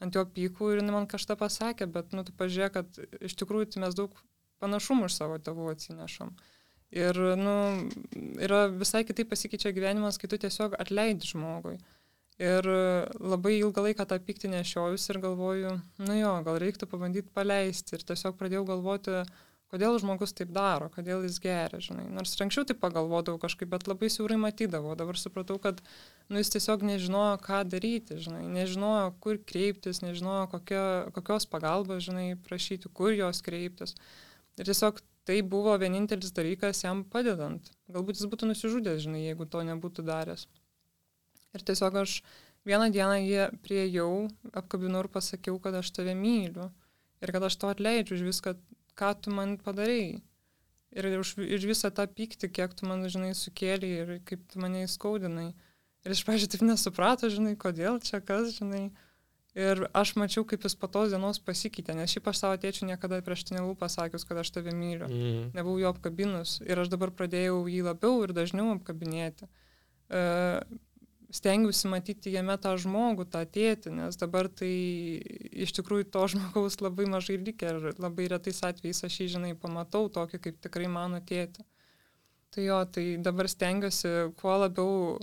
ant jo pykų ir man kažką pasakė, bet, nu, tu pažiūrėk, kad iš tikrųjų tai mes daug panašumų iš savo tėvų atsinešam. Ir, nu, yra visai kitaip pasikeičia gyvenimas, kai tu tiesiog atleidi žmogui. Ir labai ilgą laiką tą pyktį nešiojus ir galvoju, nu jo, gal reiktų pabandyti paleisti. Ir tiesiog pradėjau galvoti, kodėl žmogus taip daro, kodėl jis geria, žinai. Nors anksčiau taip pagalvodavau kažkaip, bet labai siaurai matydavau. Dabar supratau, kad nu, jis tiesiog nežinojo, ką daryti, žinai. Nežinojo, kur kreiptis, nežinojo, kokio, kokios pagalbos, žinai, prašyti, kur jos kreiptis. Ir tiesiog tai buvo vienintelis dalykas jam padedant. Galbūt jis būtų nusižudęs, žinai, jeigu to nebūtų daręs. Ir tiesiog aš vieną dieną jį priėjau, apkabinau ir pasakiau, kad aš tave myliu. Ir kad aš to atleidžiu už viską, ką tu man padarei. Ir už, už visą tą pyktį, kiek tu man, žinai, sukėlei ir kaip tu mane įskaudinai. Ir iš pradžių taip nesuprato, žinai, kodėl čia kas, žinai. Ir aš mačiau, kaip jis po tos dienos pasikeitė, nes šiaip aš savo tėčiu niekada prieš tai nebuvau pasakius, kad aš tave myliu. Mm. Nebuvau jo apkabinus. Ir aš dabar pradėjau jį labiau ir dažniau apkabinėti. Uh, stengiausi matyti jame tą žmogų, tą tėtį, nes dabar tai iš tikrųjų to žmogaus labai mažai likę ir labai retais atvejais aš jį, žinai, pamatau tokį, kaip tikrai mano tėtį. Tai jo, tai dabar stengiuosi kuo labiau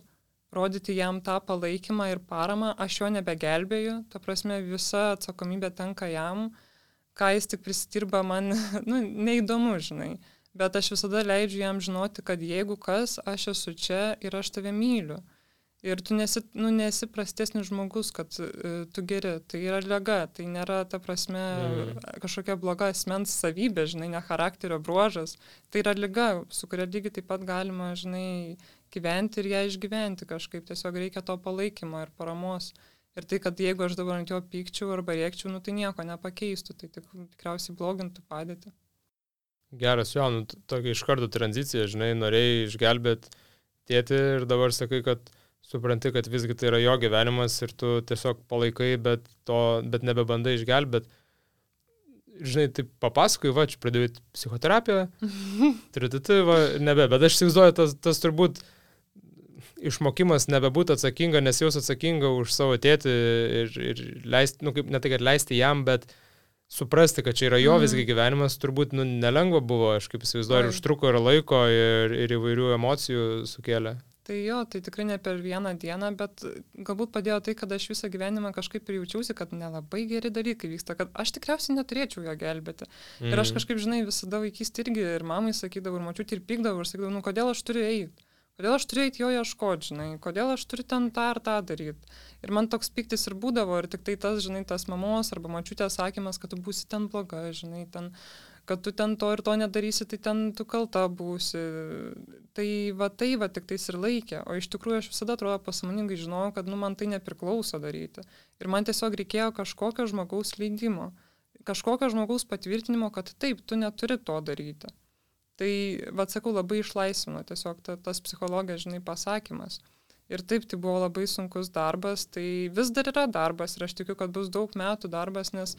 rodyti jam tą palaikymą ir paramą, aš jo nebegelbėju, ta prasme visa atsakomybė tenka jam, ką jis tik prisidirba man, nu, neįdomu, žinai. Bet aš visada leidžiu jam žinoti, kad jeigu kas, aš esu čia ir aš tave myliu. Ir tu nesi, nu, nesi prastesnis žmogus, kad uh, tu geri. Tai yra liga, tai nėra, ta prasme, mm. kažkokia bloga asmens savybė, žinai, ne charakterio bruožas. Tai yra liga, su kuria lygiai taip pat galima, žinai, gyventi ir ją išgyventi kažkaip. Tiesiog reikia to palaikymo ir paramos. Ir tai, kad jeigu aš dabar ant jo pykčiau arba rėkčiau, nu, tai nieko nepakeistų, tai tik, tikriausiai blogintų padėtį. Geras, jo, nu, tokia iš karto tranzicija, žinai, norėjai išgelbėti tėtį ir dabar sakai, kad supranti, kad visgi tai yra jo gyvenimas ir tu tiesiog palaikai, bet, to, bet nebebandai išgelbėti. Žinai, tai papasakai, va, čia pradėjai psichoterapiją, trititi, va, nebe, bet aš įsivaizduoju, tas, tas turbūt išmokimas nebebūti atsakinga, nes jaus atsakinga už savo tėtį ir, ir leisti, nu, kaip, ne tai, kad leisti jam, bet suprasti, kad čia yra jo visgi gyvenimas, turbūt nu, nelengva buvo, aš kaip įsivaizduoju, ir užtruko ir laiko, ir, ir įvairių emocijų sukėlė. Tai jo, tai tikrai ne per vieną dieną, bet galbūt padėjo tai, kad aš visą gyvenimą kažkaip ir jaučiausi, kad nelabai geri dalykai vyksta, kad aš tikriausiai neturėčiau jo gelbėti. Mm. Ir aš kažkaip, žinai, visada vaikystėje irgi ir mamai sakydavau, ir mačiutį, ir pykdavau, ir sakydavau, nu kodėl aš turiu eiti? Kodėl aš turiu eiti jo ieškoti, žinai, kodėl aš turiu ten tą ar tą daryti. Ir man toks piktis ir būdavo, ir tik tai tas, žinai, tas mamos arba mačiutės sakymas, kad tu būsi ten bloga, žinai, ten, kad tu ten to ir to nedarysi, tai ten tu kalta būsi. Tai va tai va tik tais ir laikė. O iš tikrųjų aš visada atrodo pasąmoningai žinojau, kad nu, man tai nepriklauso daryti. Ir man tiesiog reikėjo kažkokio žmogaus leidimo, kažkokio žmogaus patvirtinimo, kad taip, tu neturi to daryti. Tai, va, sakau, labai išlaisvino tiesiog ta, tas psichologijos, žinai, pasakymas. Ir taip, tai buvo labai sunkus darbas, tai vis dar yra darbas ir aš tikiu, kad bus daug metų darbas, nes,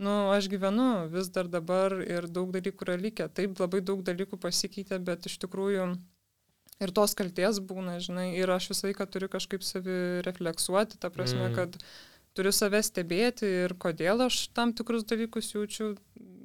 nu, aš gyvenu vis dar dabar ir daug dalykų yra likę. Taip, labai daug dalykų pasikeitė, bet iš tikrųjų ir tos kaltės būna, žinai, ir aš visą laiką turiu kažkaip savi refleksuoti, ta prasme, mm. kad turiu save stebėti ir kodėl aš tam tikrus dalykus jaučiu,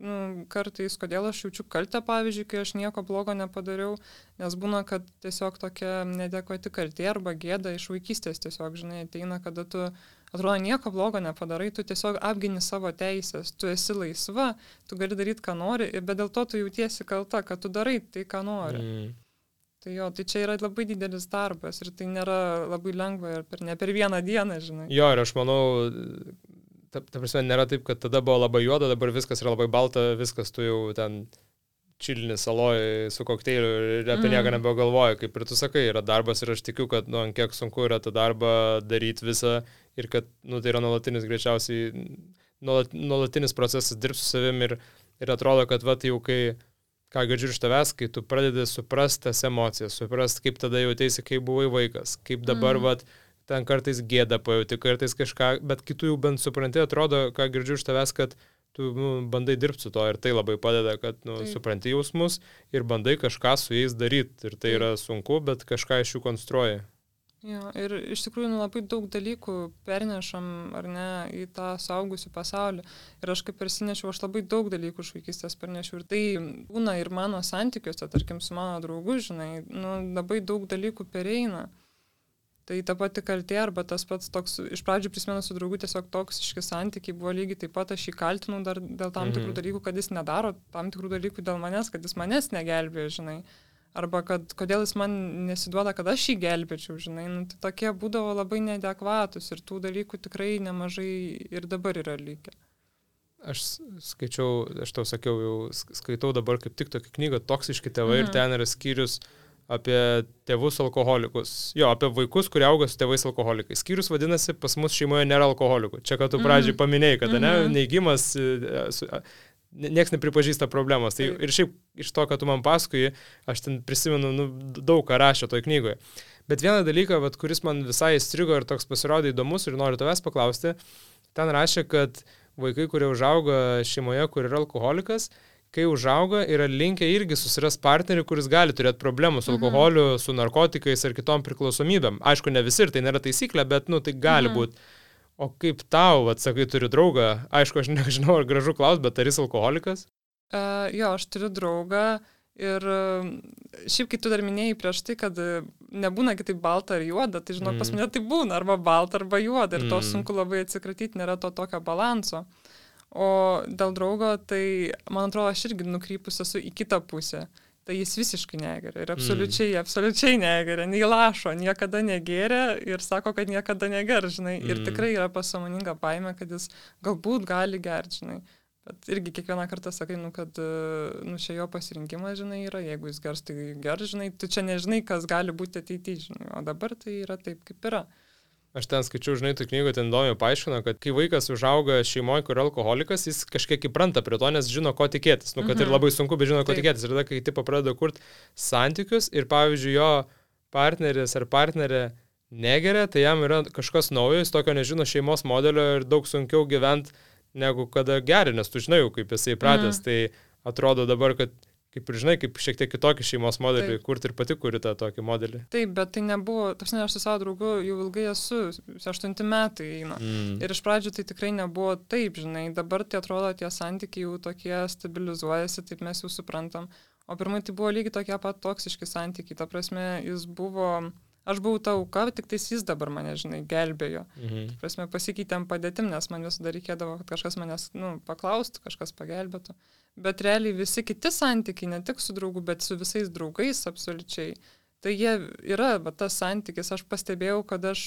nu, kartais, kodėl aš jaučiu kaltę, pavyzdžiui, kai aš nieko blogo nepadariau, nes būna, kad tiesiog tokia neadekvati kaltė arba gėda iš vaikystės tiesiog, žinai, ateina, kada tu, atrodo, nieko blogo nepadarai, tu tiesiog apgini savo teisės, tu esi laisva, tu gali daryti, ką nori, bet dėl to tu jautiesi kalta, kad tu darai tai, ką nori. Mm. Tai jo, tai čia yra labai didelis darbas ir tai nėra labai lengva ir per, ne per vieną dieną, žinai. Jo, ir aš manau, ta, ta prasme, nėra taip, kad tada buvo labai juoda, dabar viskas yra labai balta, viskas tu jau ten čilini saloj su kokteiliu ir apie mm. nieką nebegalvoji, kaip ir tu sakai, yra darbas ir aš tikiu, kad, nu, ant kiek sunku yra tą darbą daryti visą ir kad, nu, tai yra nuolatinis greičiausiai, nuolat, nuolatinis procesas dirbti su savim ir, ir atrodo, kad, va, jau kai ką girdžiu iš tavęs, kai tu pradedi suprasti tas emocijas, suprasti, kaip tada jautėsi, kai buvai vaikas, kaip dabar, mm. vat, ten kartais gėda pajauti, kartais kažką, bet kitų jau bent supranti, atrodo, ką girdžiu iš tavęs, kad tu nu, bandai dirbti su to ir tai labai padeda, kad nu, supranti jausmus ir bandai kažką su jais daryti. Ir tai Taip. Yra sunku, bet kažką iš jų konstruoji. Jo, ir iš tikrųjų nu, labai daug dalykų pernešam, ar ne, į tą suaugusių pasaulį. Ir aš kaip persinešiau, aš labai daug dalykų iš vaikystės pernešiau. Ir tai būna ir mano santykiuose, tarkim, su mano draugu, žinai, nu, labai daug dalykų pereina. Tai ta pati kaltė arba tas pats toks, iš pradžių prisimenu su draugu tiesiog toksiški santykiai buvo lygiai taip pat, aš jį kaltinau dar dėl tam tikrų dalykų, kad jis nedaro tam tikrų dalykų dėl manęs, kad jis manęs negelbėjo, žinai. Arba kad kodėl jis man nesiduoda, kad aš jį gelbėčiau, žinai. Nu, tai tokie būdavo labai neadekvatus ir tų dalykų tikrai nemažai ir dabar yra likę. Aš skaičiau, aš tau sakiau, jau skaitau dabar kaip tik tokią knygą Toksiški tėvai mhm. ir ten yra skyrius apie tėvus alkoholikus. Jo, apie vaikus, kurie auga su tėvais alkoholikais. Skyrius vadinasi, pas mus šeimoje nėra alkoholikų. Čia, kad tu pradžiai paminėjai, kad mhm. ne, neigimas, nieks nepripažįsta problemos. Tai ir šiaip iš to, kad tu man pasakoji, aš ten prisimenu nu, daug ką rašė toj knygoje. Bet vieną dalyką, vat, kuris man visai įstrigo ir toks pasirodė įdomus ir noriu tavęs paklausti, ten rašė, kad vaikai, kurie užauga šeimoje, kur yra alkoholikas, kai užauga, yra linkę irgi susiras partnerį, kuris gali turėti problemų su alkoholiu, mhm. su narkotikais ar kitom priklausomybėm. Aišku, ne visi ir tai nėra taisyklė, bet nu, tai gali mhm. būti. O kaip tau, atsakai, turiu draugą, aišku, aš nežinau, ar gražu klaus, bet ar jis alkoholikas? Uh, jo, aš turiu draugą ir uh, šiaip, kai tu dar minėjai prieš tai, kad uh, nebūna kitaip balta ar juoda, tai žinok, mm. pas mane tai būna arba balta, arba juoda ir mm. to sunku labai atsikratyti, nėra to tokio balanso. O dėl draugo, tai man atrodo, aš irgi nukrypus esu į kitą pusę. Tai jis visiškai negeria ir absoliučiai, mm. absoliučiai negeria, nei lašo, niekada negeria ir sako, kad niekada neger, žinai. Mm. Ir tikrai yra pasąmoninga baimė, kad jis galbūt gali gerti, žinai. Bet irgi kiekvieną kartą sakai, nu, kad nu, čia jo pasirinkimas, žinai, yra, jeigu jis gers, tai ger, žinai, tu čia nežinai, kas gali būti ateityje, žinai, o dabar tai yra taip, kaip yra. Aš ten skaičiau, žinai, tu knygų ten įdomiai paaiškino, kad kai vaikas užauga šeimoje, kur alkoholikas, jis kažkiek įpranta prie to, nes žino, ko tikėtis. Nu, kad mhm. ir labai sunku, bet žino, ko taip. tikėtis. Ir tada, kai tipo pradeda kurti santykius ir, pavyzdžiui, jo partneris ar partnerė negeria, tai jam yra kažkas naujo, jis tokio nežino šeimos modelio ir daug sunkiau gyventi negu kada geri, nes tu žinai jau, kaip jisai pratęs. Mm. Tai atrodo dabar, kad kaip ir žinai, kaip šiek tiek kitokį šeimos modelį, kurti ir pati kuri tą tokį modelį. Taip, bet tai nebuvo, tas ne, aš su savo draugu jau ilgai esu, aštunti metai eina. Mm. Ir iš pradžių tai tikrai nebuvo taip, žinai, dabar tai atrodo, tie santykiai jau tokie stabilizuojasi, taip mes jau suprantam. O pirmai tai buvo lygiai tokie pat toksiški santykiai, ta prasme, jis buvo... Aš buvau ta auka, tik tais jis dabar mane, žinai, gelbėjo. Mhm. Ta prasme, pasikeitėm padėtim, nes man visada reikėdavo, kad kažkas manęs, nu, paklaustų, kažkas pagelbėtų. Bet realiai visi kiti santykiai, ne tik su draugu, bet su visais draugais absoliučiai. Tai jie yra, va, tas santykis. Aš pastebėjau, kad aš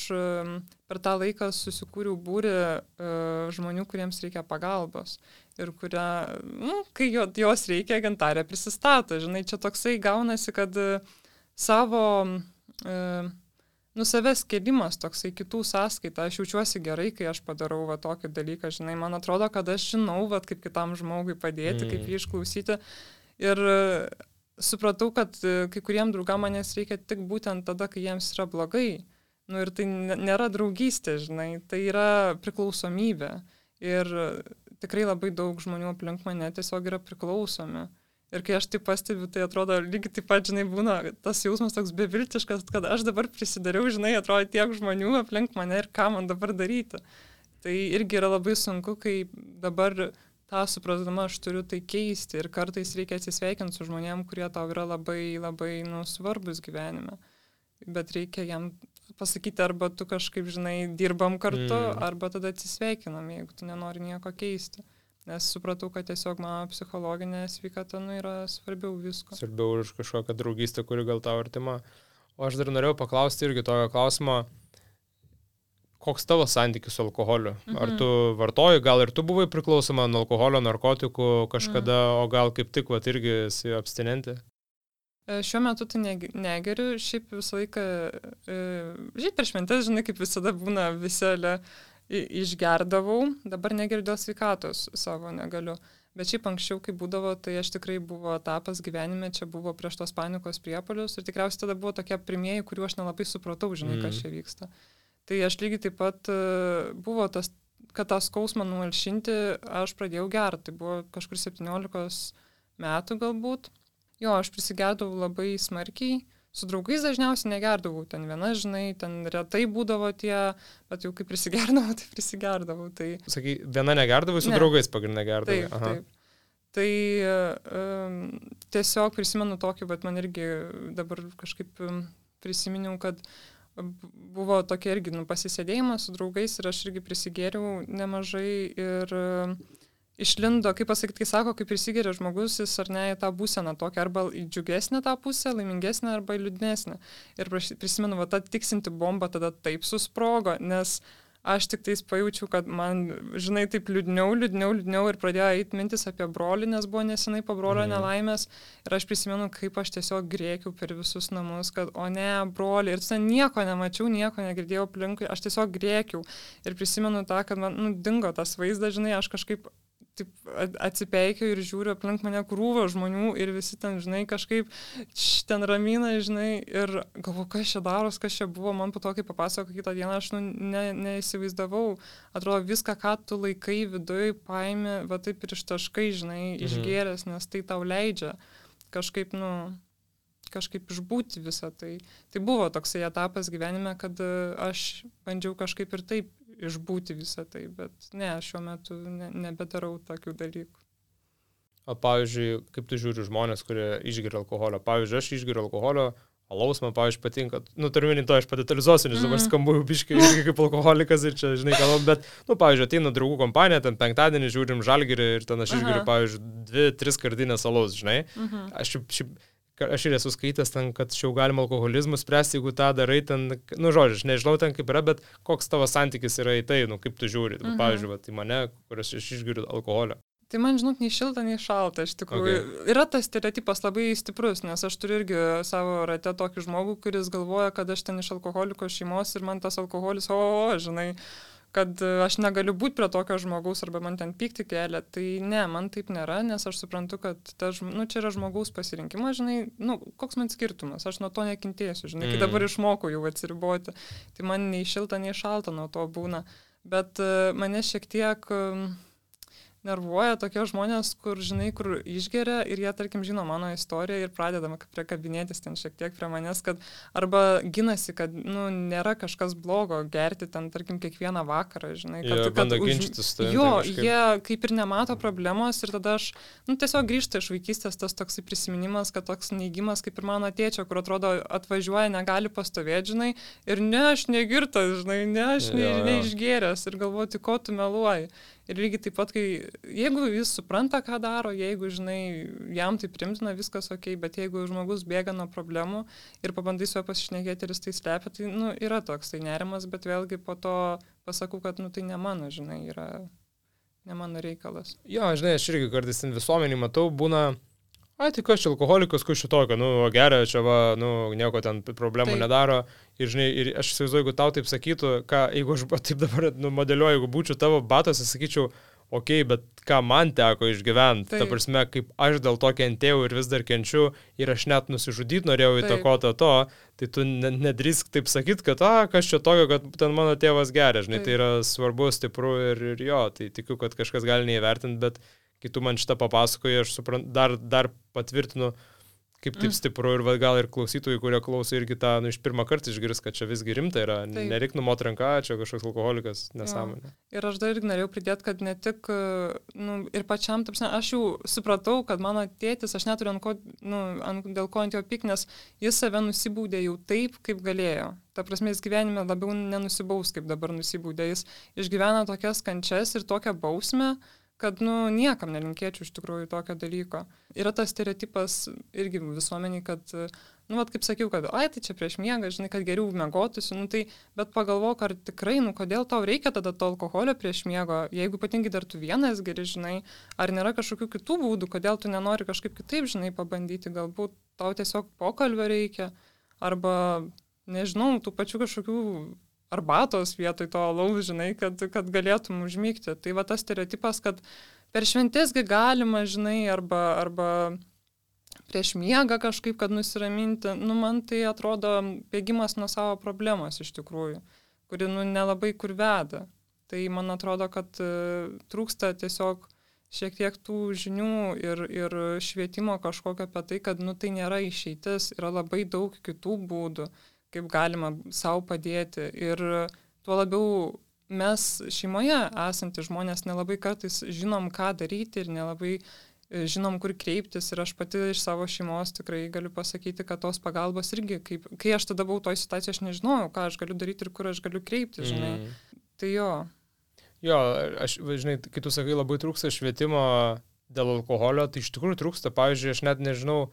per tą laiką susikūriau būrį uh, žmonių, kuriems reikia pagalbos. Ir kurie, nu, kai jos reikia, Gintarė prisistato. Žinai, čia toksai gaunasi, kad uh, savo... Uh, nu, savęs kėlimas toksai kitų sąskaita, aš jaučiuosi gerai, kai aš padarau va tokį dalyką, žinai, man atrodo, kad aš žinau, va, kaip kitam žmogui padėti, mm. kaip jį išklausyti ir uh, supratau, kad uh, kai kuriem draugam manęs reikia tik būtent tada, kai jiems yra blogai, nu ir tai nėra draugystė, žinai, tai yra priklausomybė ir uh, tikrai labai daug žmonių aplink mane tiesiog yra priklausomi. Ir kai aš tai pastebiu, tai atrodo lygiai taip pat, žinai, būna tas jausmas toks beviltiškas, kad aš dabar prisidariau, žinai, atrodo tiek žmonių aplink mane ir ką man dabar daryti. Tai irgi yra labai sunku, kai dabar tą suprasdama aš turiu tai keisti ir kartais reikia atsisveikinti su žmonėm, kurie tau yra labai, labai, nu, svarbus gyvenime. Bet reikia jam pasakyti, arba tu kažkaip, žinai, dirbam kartu, mm. arba tada atsisveikinam, jeigu tu nenori nieko keisti. Nes supratau, kad tiesiog mano psichologinė sveikata nu, yra svarbiau visko. Svarbiau už kažkokią draugystę, kuri gal tau artima. O aš dar norėjau paklausti irgi tokio klausimo, koks tavo santykis su alkoholiu? Mhm. Ar tu vartoji, gal ir tu buvai priklausoma nuo alkoholio, narkotikų kažkada, mhm. o gal kaip tik vat, irgi esi abstinentė? Šiuo metu tai negeriu, šiaip visą laiką, šiaip per šventes, žinai, kaip visada būna viselė, išgerdavau, dabar negeriu dėl sveikatos savo negaliu. Bet šiaip anksčiau, kai būdavo, tai aš tikrai buvo etapas gyvenime, čia buvo prieš tos panikos priepuolius ir tikriausiai tada buvo tokie pirmieji, kuriuo aš nelabai supratau, žinai, mm. kas čia vyksta. Tai aš lygiai taip pat buvo tas, kad tą skausmą numalšinti, aš pradėjau gerti. Tai buvo kažkur septyniolikos metų galbūt. Jo, aš prisigerdavau labai smarkiai. Su draugais dažniausiai negerdavau, ten viena, žinai, ten retai būdavo tie, bet jau kai prisigerdavau, tai prisigerdavau. Tai... Sakai, viena negerdavau, su ne. draugais pagrindinė gerdavai. Taip, Aha. taip. Tai um, tiesiog prisimenu tokį, bet man irgi dabar kažkaip prisiminiau, kad buvo tokia irgi nu, pasisėdėjimas su draugais ir aš irgi prisigėriau nemažai ir... Um, Išlindo, kaip pasakyti, kai sako, kaip prisigeria žmogus, jis ar ne į tą būseną tokią, arba į džiugesnę tą pusę, laimingesnę, arba į liūdnesnę. Ir prisimenu, va, ta tiksinti bomba tada taip susprogo, nes aš tik tais pajaučiau, kad man, žinai, taip liūdniau, liūdniau, liūdniau ir pradėjo eiti mintis apie brolį, nes buvo nesenai po brolio mm. nelaimės. Ir aš prisimenu, kaip aš tiesiog grėkiau per visus namus, kad o ne, brolį. Ir ten nieko nemačiau, nieko negirdėjau aplinkui, aš tiesiog grėkiau. Ir prisimenu tą, kad man, nu, dingo tas vaizdas, žinai, aš kažkaip taip atsipeikiau ir žiūriu aplink mane krūvą žmonių ir visi ten, žinai, kažkaip ten ramina, žinai, ir galvoju, kas čia daros, kas čia buvo, man po to, kai papasako kitą dieną, aš nu, ne, neįsivaizdavau, atrodo viską, ką tu laikai viduj, paimi, va taip ir ištaškai, žinai, mhm. išgėręs, nes tai tau leidžia kažkaip, nu, kažkaip išbūti visą tai. Tai buvo toksai etapas gyvenime, kad aš bandžiau kažkaip ir taip išbūti visą tai, bet ne, šiuo metu ne, nebedarau tokių dalykų. O pavyzdžiui, kaip tu žiūri žmonės, kurie išgeria alkoholio? Pavyzdžiui, aš išgeriu alkoholio, alaus man, pavyzdžiui, patinka, nu, turiu minį to, aš padetalizuosiu, nes dabar mm. skambu biškai irgi kaip alkoholikas ir čia, žinai, kalbam, bet, nu, pavyzdžiui, ateina draugų kompanija, ten penktadienį žiūrim Žalgirį ir ten aš išgeriu, pavyzdžiui, dvi, tris kardinės alaus, žinai. Mm-hmm. Aš, šiaip, aš ir esu skaitęs ten, kad čia jau galima alkoholizmų spręsti, jeigu tą darai ten, nu, žodžiu, aš nežinau ten kaip yra, bet koks tavo santykis yra į tai, nu, kaip tu žiūri, mm-hmm. pavyzdžiui, va, tai mane, kuris aš išgeriu alkoholio. Tai man, žinok, nei šilta, nei šalta, iš tikrųjų. Okay. Yra tas stereotipas labai stiprus, nes aš turiu irgi savo rate tokį žmogų, kuris galvoja, kad aš ten iš alkoholiko šeimos ir man tas alkoholis, o, o, žinai, kad aš negaliu būti prie tokio žmogaus arba man ten pykti kelia. Tai ne, man taip nėra, nes aš suprantu, kad ta, nu, čia yra žmogaus pasirinkimas, žinai, nu, koks man skirtumas, aš nuo to nekentėsiu, žinai, mm. kai dabar išmokau jau atsiriboti. Tai man nei šilta, nei šalta nuo to būna. Bet uh, mane šiek tiek... Uh, nervuoja tokie žmonės, kur, žinai, kur išgeria ir jie, tarkim, žino mano istoriją ir pradedama priekabinėtis ten šiek tiek prie manęs, kad arba ginasi, kad, nu, nėra kažkas blogo gerti ten, tarkim, kiekvieną vakarą, žinai. Kad, jie kad, bando už... ginčytis. Tai jo, kažkaip... jie kaip ir nemato problemos ir tada aš, nu, tiesiog grįžta iš vaikystės tas toksai prisiminimas, kad toks neigimas kaip ir mano tėčio, kur atrodo atvažiuoja, negali pastovėti, žinai, ir ne, aš negirtas, žinai, ne, aš ne, neišgėręs ir galvoti, ko tu meluoji. Ir lygiai taip pat, kai, jeigu jis supranta, ką daro, jeigu, žinai, jam tai primtina, viskas ok, bet jeigu žmogus bėga nuo problemų ir pabandai su juo pasišnekėti ir jis tai slepia, tai, nu, yra toks tai nerimas, bet vėlgi po to pasakau, kad, nu, tai ne mano, žinai, yra ne mano reikalas. Jo, žinai, aš irgi kartais ten visuomenį matau, būna, ai, tai kas čia alkoholikas, kas čia tokio, nu, geria, čia va, nu, nieko ten problemų taip. Nedaro. Ir, žinai, ir aš įsivaizduoju, jeigu tau taip sakytų, ką, jeigu aš taip dabar, nu, modeliuoju, jeigu būčiau tavo batose, sakyčiau, okei, okay, bet ką man teko išgyventi, ta prasme, kaip aš dėl to kentėjau ir vis dar kenčiu ir aš net nusižudyti norėjau įtakoti to, tai tu nedrįsk taip sakyti, kad, a, kas čia tokio, kad ten mano tėvas geria, žinai, taip. Tai yra svarbu, stipru ir, ir jo, tai tikiu, kad kažkas gali neįvertinti, bet kai tu man šitą papasakoji, aš suprantu, dar, dar patvirtinu, kaip taip stipru ir va, gal ir klausytojai, kurie klauso irgi tą, nu, iš pirmą kartą išgirs, kad čia visgi rimta yra, taip. Nereik numot ranką, čia kažkoks alkoholikas, nesąmonė. Jo. Ir aš dar irgi norėjau pridėti, kad ne tik, nu, ir pačiam, taip, aš jau supratau, kad mano tėtis, aš neturiu ant ko, nu, ant, dėl ko ant jo pyk, nes jis save nusibūdė jau taip, kaip galėjo. Ta prasme, jis gyvenime labiau nenusibaus, kaip dabar nusibūdė. Jis išgyvena tokias kančias ir tokią bausmę, kad, nu, niekam nelinkėčiau iš tikrųjų tokio dalyko. Yra tas stereotipas irgi visuomeniai, kad, nu, vat, kaip sakiau, kad, ai, tai čia prieš miegą, žinai, kad geriau miegotųsi, nu, tai, bet pagalvok, ar tikrai, nu, kodėl tau reikia tada to alkoholio prieš miego, jeigu ypatingai dar tu vienas geri, žinai, ar nėra kažkokių kitų būdų, kodėl tu nenori kažkaip kitaip, žinai, pabandyti, galbūt tau tiesiog pokalbio reikia, arba, nežinau, tų pačių kažkokių arbatos vietoj to alaus, žinai, kad, kad galėtum užmygti. Tai va tas stereotipas, kad per šventėsgi galima, žinai, arba, arba prieš miegą kažkaip, kad nusiraminti, nu, man tai atrodo bėgimas nuo savo problemos iš tikrųjų, kuri, nu, nelabai kur veda. Tai man atrodo, kad uh, trūksta tiesiog šiek tiek tų žinių ir, ir švietimo kažkokio apie tai, kad, nu, tai nėra išeitis, yra labai daug kitų būdų, kaip galima savo padėti. Ir tuo labiau mes šeimoje esantys žmonės nelabai kartais žinom, ką daryti ir nelabai žinom, kur kreiptis. Ir aš pati iš savo šeimos tikrai galiu pasakyti, kad tos pagalbos irgi, kaip, kai aš tada buvau toj situacijoje, aš nežinojau, ką aš galiu daryti ir kur aš galiu kreiptis, žinai. Mm. Tai jo. Jo, aš, žinai, kai tu sakai, labai trūksta švietimo dėl alkoholio, tai iš tikrųjų trūksta. Pavyzdžiui, aš net nežinau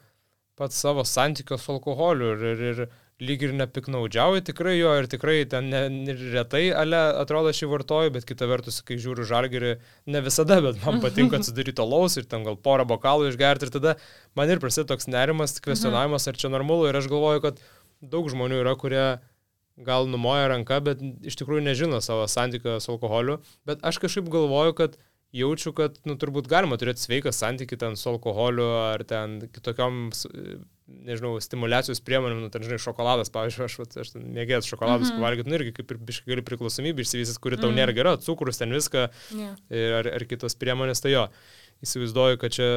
pats savo santykio su alkoholiu ir, ir, ir lyg ir nepiknaudžiauju tikrai jo ir tikrai ten ne, ne, retai ale atrodo aš jį vartoju, bet kita vertus, kai žiūriu Žalgirį, ne visada, bet man patinka atsidaryti alaus ir ten gal porą bokalų išgerti ir tada man ir prasideda toks nerimas, kvestionavimas, ar čia normalu ir aš galvoju, kad daug žmonių yra, kurie gal numoja ranką, bet iš tikrųjų nežino savo santykio su alkoholiu, bet aš kažkaip galvoju, kad jaučiu, kad, nu, turbūt galima turėti sveiką santykį ten su alkoholiu ar ten kitokiom, nežinau, stimulacijos priemonėm, nu, ten, žinai, šokoladas, pavyzdžiui, aš, aš ten mėgėjęs šokoladus mm-hmm. pavalgyti, nu, irgi kaip ir biškai gali priklausomybė išsivysis, kuri tau mm. nėra gera, cukrus ten viską yeah. ar, ar kitos priemonės, tai jo, įsivaizduoju, kad čia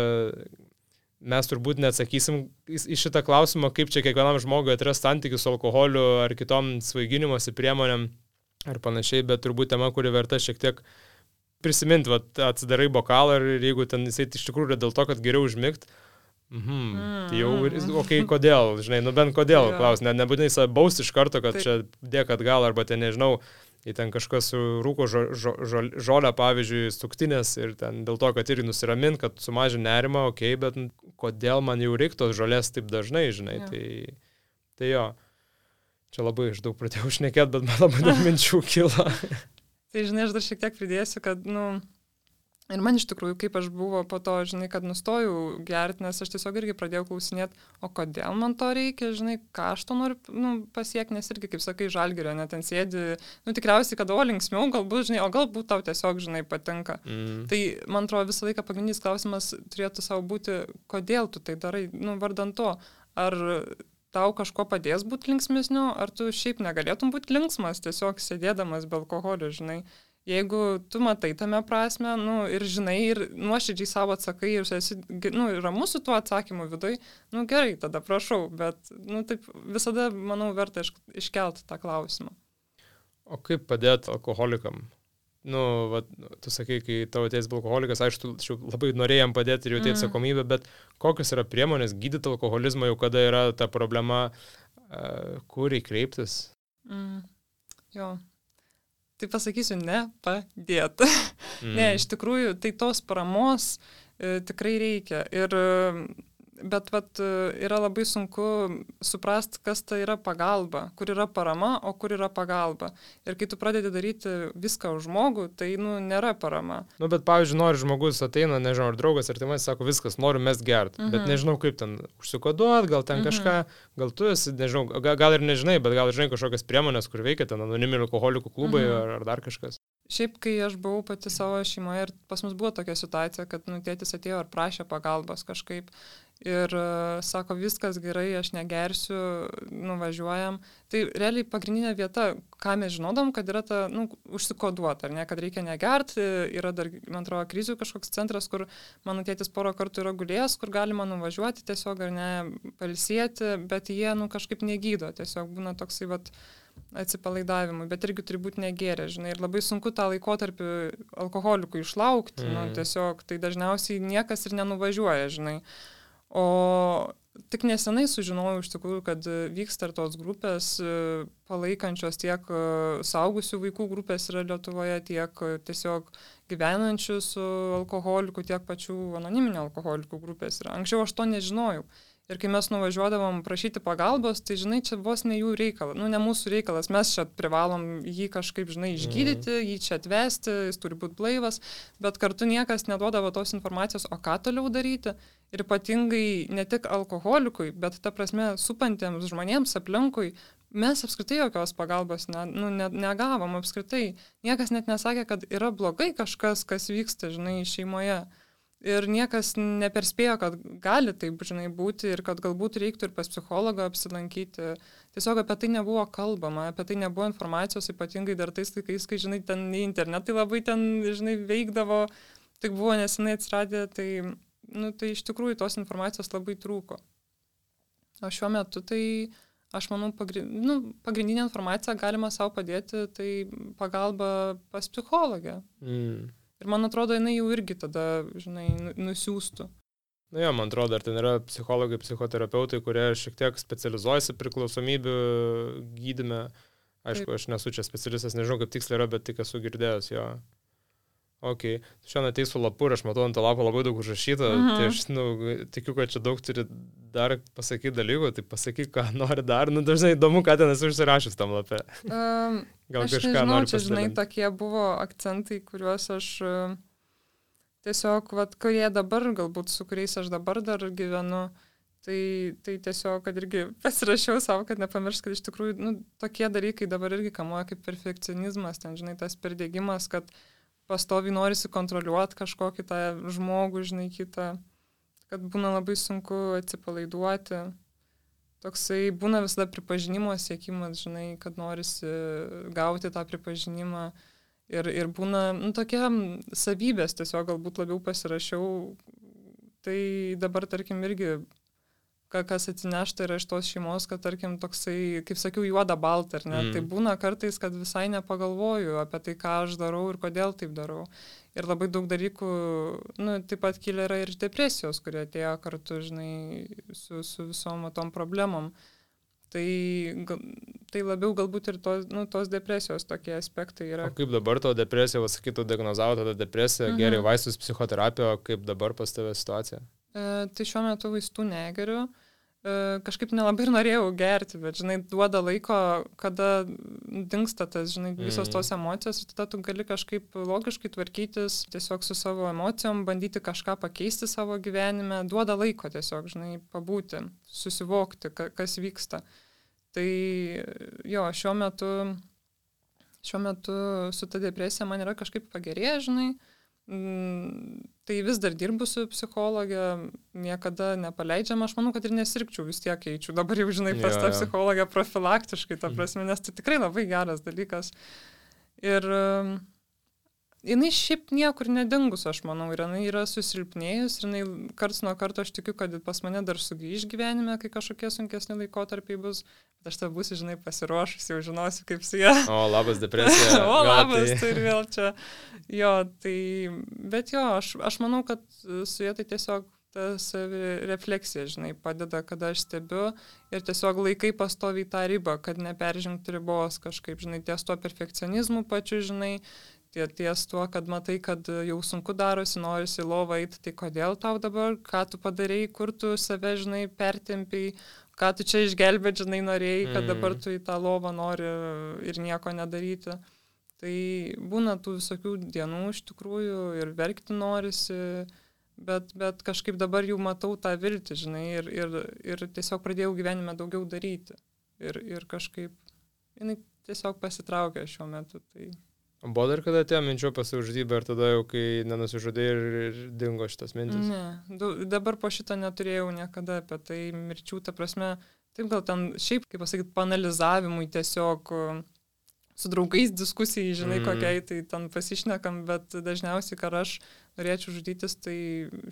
mes turbūt neatsakysim į šitą klausimą, kaip čia kiekvienam žmogui atras santykį su alkoholiu ar kitom svaiginimosi priemonėm. ar panašiai, bet turbūt tema, kuri verta šiek tiek prisiminti, va, atsidarai bokalą ir jeigu ten jisai iš tikrųjų yra dėl to, kad geriau užmigt, mhm, mm, tai jau, okei, okay, kodėl, žinai, nu bent kodėl, klaus, ne, nebūtinai save bausti iš karto, kad taip. Čia dėk atgal, arba ten, nežinau, į ten kažkas rūko žo, žo, žo, žolę, pavyzdžiui, suktinės ir ten dėl to, kad irgi nusiramint, kad sumažin nerimą, okei, okay, bet kodėl man jau reiktos žolės taip dažnai, žinai, ja. tai, tai jo, čia labai iš daug pradėjau šnekėti, bet man labai daug minčių kilo. Tai, žinai, aš dar šiek tiek pridėsiu, kad, nu, ir man iš tikrųjų, kaip aš buvo po to, žinai, kad nustojau gerti, nes aš tiesiog irgi pradėjau klausinėti, o kodėl man to reikia, žinai, ką aš to noriu nu, pasiekti, nes irgi, kaip sakai, Žalgirio, net ten sėdi, nu tikriausiai, kad o linksmiau, galbūt, žinai, o galbūt tau tiesiog, žinai, patinka. Mm. Tai, man atrodo, visą laiką pagrindinis klausimas turėtų savo būti, kodėl tu tai darai, nu, vardant to, ar tau kažko padės būti linksmesniu, ar tu šiaip negalėtum būti linksmas, tiesiog sėdėdamas be alkoholio, žinai. Jeigu tu matai tame prasme, nu, ir žinai, ir nuoširdžiai savo atsakai, ir esi, nu, ramus su tuo atsakymu viduj, nu, gerai, tada prašau, bet, nu, taip visada, manau, verta iš, iškelti tą klausimą. O kaip padėti alkoholikam? Nu, va, tu sakai, kai tavo tėtis buvo alkoholikas, aišku, tu labai norėjom padėti ir jau tėtis atsakomybę, mm. bet kokios yra priemonės gydyti alkoholizmą, jau kada yra ta problema, uh, kur įkreiptis? Mm. Jo. Tai pasakysiu, ne, padėt. Mm. Ne, iš tikrųjų, tai tos paramos e, tikrai reikia. Ir, bet vat, yra labai sunku suprasti, kas tai yra pagalba, kur yra parama, o kur yra pagalba. Ir kai tu pradedi daryti viską už žmogų, tai, nu, nėra parama. Nu, bet, pavyzdžiui, nori žmogus ateina, nežinau, ar draugas, ar tai man sako, viskas, noriu mest gert, mm-hmm. bet nežinau, kaip ten užsikoduot, gal ten mm-hmm. kažką, gal tu esi, nežinau, gal, gal ir nežinai, bet gal žinai kažkokias priemonės, kur veikia ten anoniminių alkoholikų klubai mm-hmm. ar, ar dar kažkas. Šiaip, kai aš buvau pati savo šeimoje ir pas mus buvo tokia situacija, kad, nu, tėtis atėjo ir prašė pagalbos kažkaip. Ir uh, sako, viskas gerai, aš negersiu, nuvažiuojam. Tai realiai pagrindinė vieta, ką mes žinodom, kad yra ta, nu, užsikoduota, ar ne, kad reikia negerti, yra dar, man atrodo, krizių kažkoks centras, kur mano tėtis porą kartų yra gulėjęs, kur galima nuvažiuoti tiesiog, ar ne, pailsėti, bet jie, nu, kažkaip negydo, tiesiog būna toksai, vat, atsipalaidavimui, bet irgi turi būti negėrę, žinai, ir labai sunku tą laikotarpį alkoholikų išlaukti, mm. nu, tiesiog, tai dažniausiai niekas ir nenuvažiuoja, žinai. O tik nesenai sužinojau iš tikrųjų, kad vyksta ir tos grupės palaikančios tiek suaugusių vaikų grupės yra Lietuvoje, tiek tiesiog gyvenančių su alkoholiku, tiek pačių anoniminių alkoholikų grupės yra. Anksčiau aš to nežinojau. Ir kai mes nuvažiuodavom prašyti pagalbos, tai, žinai, čia vos ne jų reikalas, nu, ne mūsų reikalas, mes čia privalom jį kažkaip, žinai, išgydyti, mm. jį čia atvesti, jis turi būti blaivas, bet kartu niekas neduodavo tos informacijos, o ką toliau daryti. Ir ypatingai ne tik alkoholikui, bet ta prasme supantiems žmonėms aplinkui, mes apskritai jokios pagalbos ne, nu, ne, negavom apskritai. Niekas net nesakė, kad yra blogai kažkas, kas vyksta, žinai, šeimoje. Ir niekas neperspėjo, kad gali taip, žinai, būti ir kad galbūt reiktų ir pas psichologą apsilankyti. Tiesiog apie tai nebuvo kalbama, apie tai nebuvo informacijos, ypatingai dar tais laikais, kai, žinai, ten internetai labai ten, žinai, veikdavo, tik buvo nesenai atsiradę, tai, nu, tai iš tikrųjų tos informacijos labai trūko. O šiuo metu tai, aš manau, pagrind, nu, pagrindinė informacija galima savo padėti, tai pagalba pas psichologę. Mm. Ir man atrodo, jinai jau irgi tada, žinai, nusiųstų. Na jo, man atrodo, ar ten yra psichologai, psichoterapeutai, kurie šiek tiek specializuojasi priklausomybių gydyme. Aišku, Taip. Aš nesu čia specialistas, nežinau, kaip tiksliai yra, bet tik esu girdėjęs jo. Ok, šiandien ateis su lapu ir aš matau ant to lapo labai daug užrašyta, mhm. tai aš, nu, tikiu, kad čia daug turi dar pasakyti dalykų, tai pasakyk, ką nori dar, nu, dažnai įdomu, ką ten esu užsirašęs tam lape. Um, Gal aš kažką nežinau, čia, žinai, tokie buvo akcentai, kuriuos aš uh, tiesiog, vat, kurie dabar, galbūt su kuriais aš dabar dar gyvenu, tai, tai tiesiog, kad irgi pasirašiau savo, kad nepamiršt, kad iš tikrųjų, nu, tokie dalykai dabar irgi kamuoja kaip perfekcionizmas, ten, žinai, tas perdėgymas, kad pastoviai norisi kontroliuoti kažkokį tą žmogų, žinai, kitą, kad būna labai sunku atsipalaiduoti. Toksai būna visada pripažinimo siekimas, žinai, kad norisi gauti tą pripažinimą. Ir, ir būna, nu, tokia savybės tiesiog galbūt labiau pasirašiau. Tai dabar, tarkim, irgi kas atsinešta yra iš tos šeimos, kad, tarkim, toksai, kaip sakiau, juoda balta, ar ne? Mm. Tai būna kartais, kad visai nepagalvoju apie tai, ką aš darau ir kodėl taip darau. Ir labai daug dalykų, nu, taip pat kyla yra ir iš depresijos, kurie atėjo kartu, žinai, su, su visom tom problemom. Tai, tai labiau galbūt ir tos, nu, tos depresijos tokie aspektai yra. O kaip dabar to depresija, sakytų, diagnozavo tada depresiją, mhm. gerai vaistus, psichoterapiją, kaip dabar pas tave situacija? E, tai šiuo metu vaistų negeriu. Kažkaip nelabai ir norėjau gerti, bet, žinai, duoda laiko, kada dingsta tas, žinai, visos tos emocijos ir tada tu gali kažkaip logiškai tvarkytis tiesiog su savo emocijom, bandyti kažką pakeisti savo gyvenime, duoda laiko tiesiog, žinai, pabūti, susivokti, kas vyksta. Tai jo, šiuo metu, šiuo metu su ta depresija man yra kažkaip pagerėję, žinai, tai vis dar dirbu su psichologė, niekada nepaleidžiama, aš manau, kad ir nesirgčiau, vis tiek eičiau. Dabar jau, žinai, pas tą psichologę profilaktiškai, ta prasme, nes tai tikrai labai geras dalykas. Ir jinai šiaip niekur nedingus, aš manau, ir jinai yra susilpnėjus, ir jinai karts nuo karto aš tikiu, kad pas mane dar sugrįž gyvenime, kai kažkokie sunkesni laikotarpiai bus, bet aš tą būsiu, žinai, pasiruošus, jau žinosiu, kaip su ja. O, labas depresija. O, labas, tai ir vėl čia. Jo, tai, bet jo, aš, aš manau, kad su ja tai tiesiog ta savirefleksija, žinai, padeda, kada aš stebiu ir tiesiog laikai pastoviai tą ribą, kad neperžengti ribos kažkaip, žinai, ties tuo perfekcionizmu pačiu, žinai, ties tuo, kad matai, kad jau sunku darosi, norisi į lovą eiti, tai kodėl tau dabar, ką tu padarėjai, kur tu save, žinai, pertempiai, ką tu čia išgelbėt, žinai, norėjai, kad dabar tu į tą lovą nori ir nieko nedaryti. Tai būna tų visokių dienų iš tikrųjų ir verkti norisi, bet, bet kažkaip dabar jau matau tą viltį, žinai, ir, ir, ir tiesiog pradėjau gyvenime daugiau daryti. Ir, ir kažkaip, jinai tiesiog pasitraukė šiuo metu. Tai... Buvo dar kada atėjo minčio pasižudybę ir tada jau, kai nenusižudė ir, ir dingo šitas mintis? Ne, du, dabar po šito neturėjau niekada apie tai mirčių, ta prasme, taip gal ten šiaip, kaip pasakyti, panalizavimui tiesiog su draugais diskusijai, žinai, mm. kokiai, tai ten pasišnekam, bet dažniausiai, kar aš norėčiau žudytis, tai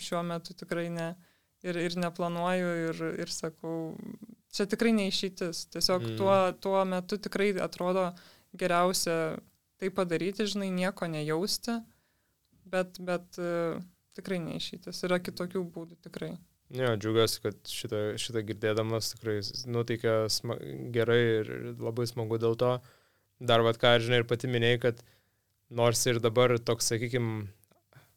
šiuo metu tikrai ne. Ir, ir neplanuoju ir, ir sakau, čia tikrai neišeitis. Tiesiog mm. tuo, tuo metu tikrai atrodo geriausia tai padaryti, žinai, nieko nejausti, bet, bet uh, tikrai neišeitis. Yra kitokių būdų, tikrai. Ne, džiaugiuosi, kad šitą, šitą girdėdamas tikrai nuteikia sma- gerai ir labai smagu dėl to. Dar vat ką, žinai, ir pati minėjai, kad nors ir dabar toks, sakykime,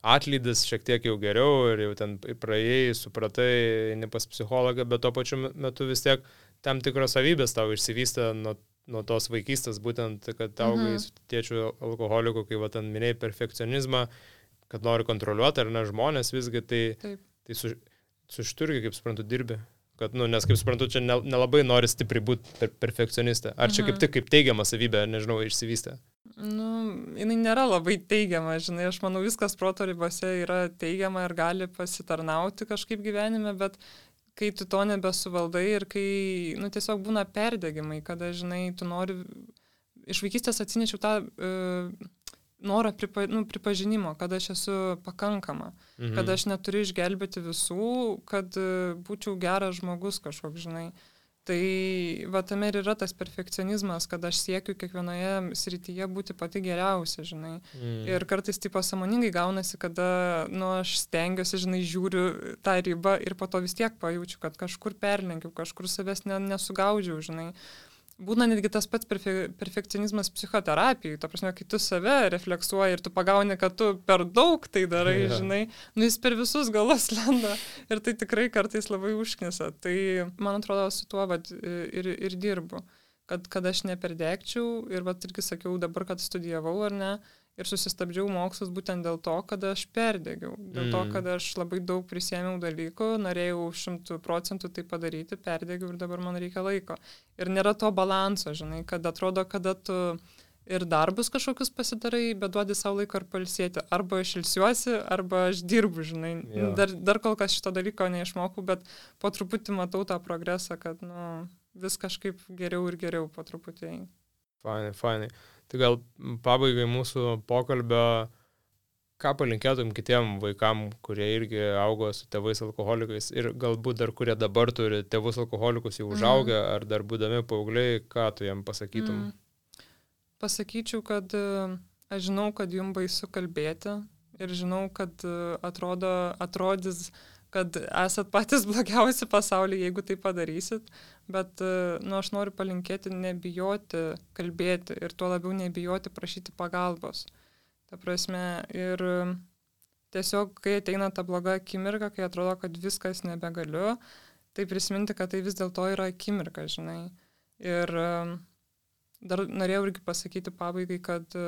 atlydis šiek tiek jau geriau ir jau ten praėjai, supratai, ne pas psichologą, bet tuo pačiu metu vis tiek tam tikros savybės tau išsivystė nuo, nuo tos vaikystės, būtent, kad augai mhm. su tėčiu alkoholiku, kai va ten minėjai perfekcionizmą, kad nori kontroliuoti ar ne žmonės visgi, tai, tai su, su šitu irgi, kaip suprantu, dirbi. Kad, nu, nes, kaip suprantu, čia nelabai nori stipriai būti per perfekcionistė. Ar čia kaip tik kaip teigiama savybė, nežinau, išsivystė? Nu, jinai nėra labai teigiama, žinai, aš manau, viskas proto ribose yra teigiama ir gali pasitarnauti kažkaip gyvenime, bet kai tu to nebesuvaldai ir kai, nu, tiesiog būna perdegimai, kada, žinai, tu nori, iš vaikystės atsinešiau tą uh, norą pripa, nu, pripažinimo, kad aš esu pakankama, mhm. kad aš neturiu išgelbėti visų, kad uh, būčiau geras žmogus kažkoks, žinai. Tai va tame ir yra tas perfekcionizmas, kad aš siekiu kiekvienoje srityje būti pati geriausia, žinai. Mm. Ir kartais taip pasąmoningai gaunasi, kada, nu, aš stengiuosi, žinai, žiūriu tą ribą ir po to vis tiek pajaučiu, kad kažkur perlenkiu, kažkur savęs ne, nesugaudžiau, žinai. Būna netgi tas pats perfe- perfekcionizmas psichoterapijai, ta prasme, kai tu save refleksuoji ir tu pagauni, kad tu per daug tai darai, yeah. žinai, nu jis per visus galus lenda ir tai tikrai kartais labai užknisa. Tai man atrodo su tuo vat, ir, ir dirbu, kad, kad aš neperdegčiau ir vat irgi sakiau dabar, kad studijavau ar ne, ir susistabdžiau mokslus būtent dėl to, kad aš perdegiau, dėl mm. to, kad aš labai daug prisėmiau dalykų, norėjau šimtų procentų tai padaryti, perdegiau ir dabar man reikia laiko. Ir nėra to balanso, žinai, kad atrodo, kada tu ir darbus kažkokius pasidarai, bet duodi savo laiko ir pailsėti. Arba aš ilsiuosi, arba aš dirbu, žinai. Yeah. Dar, dar kol kas šito dalyko neišmokau, bet po truputį matau tą progresą, kad nu, vis kažkaip geriau ir geriau po truputį. Fainai, fainai. Tai gal pabaigai mūsų pokalbio ką palinkėtum kitiem vaikam, kurie irgi augo su tėvais alkoholikais ir galbūt dar kurie dabar turi tėvus alkoholikus jau užaugę, mm. ar dar būdami paaugliai, ką tu jiem pasakytum? Mm. Pasakyčiau, kad aš žinau, kad jums baisu kalbėti ir žinau, kad atrodo, atrodys, kad esat patys blogiausi pasaulyje, jeigu tai padarysit, bet nu, aš noriu palinkėti nebijoti kalbėti ir tuo labiau nebijoti prašyti pagalbos. Ta prasme, ir tiesiog, kai ateina ta bloga akimirka, kai atrodo, kad viskas nebegaliu, tai prisiminti, kad tai vis dėlto yra akimirka, žinai. Ir dar norėjau irgi pasakyti pabaigai, kad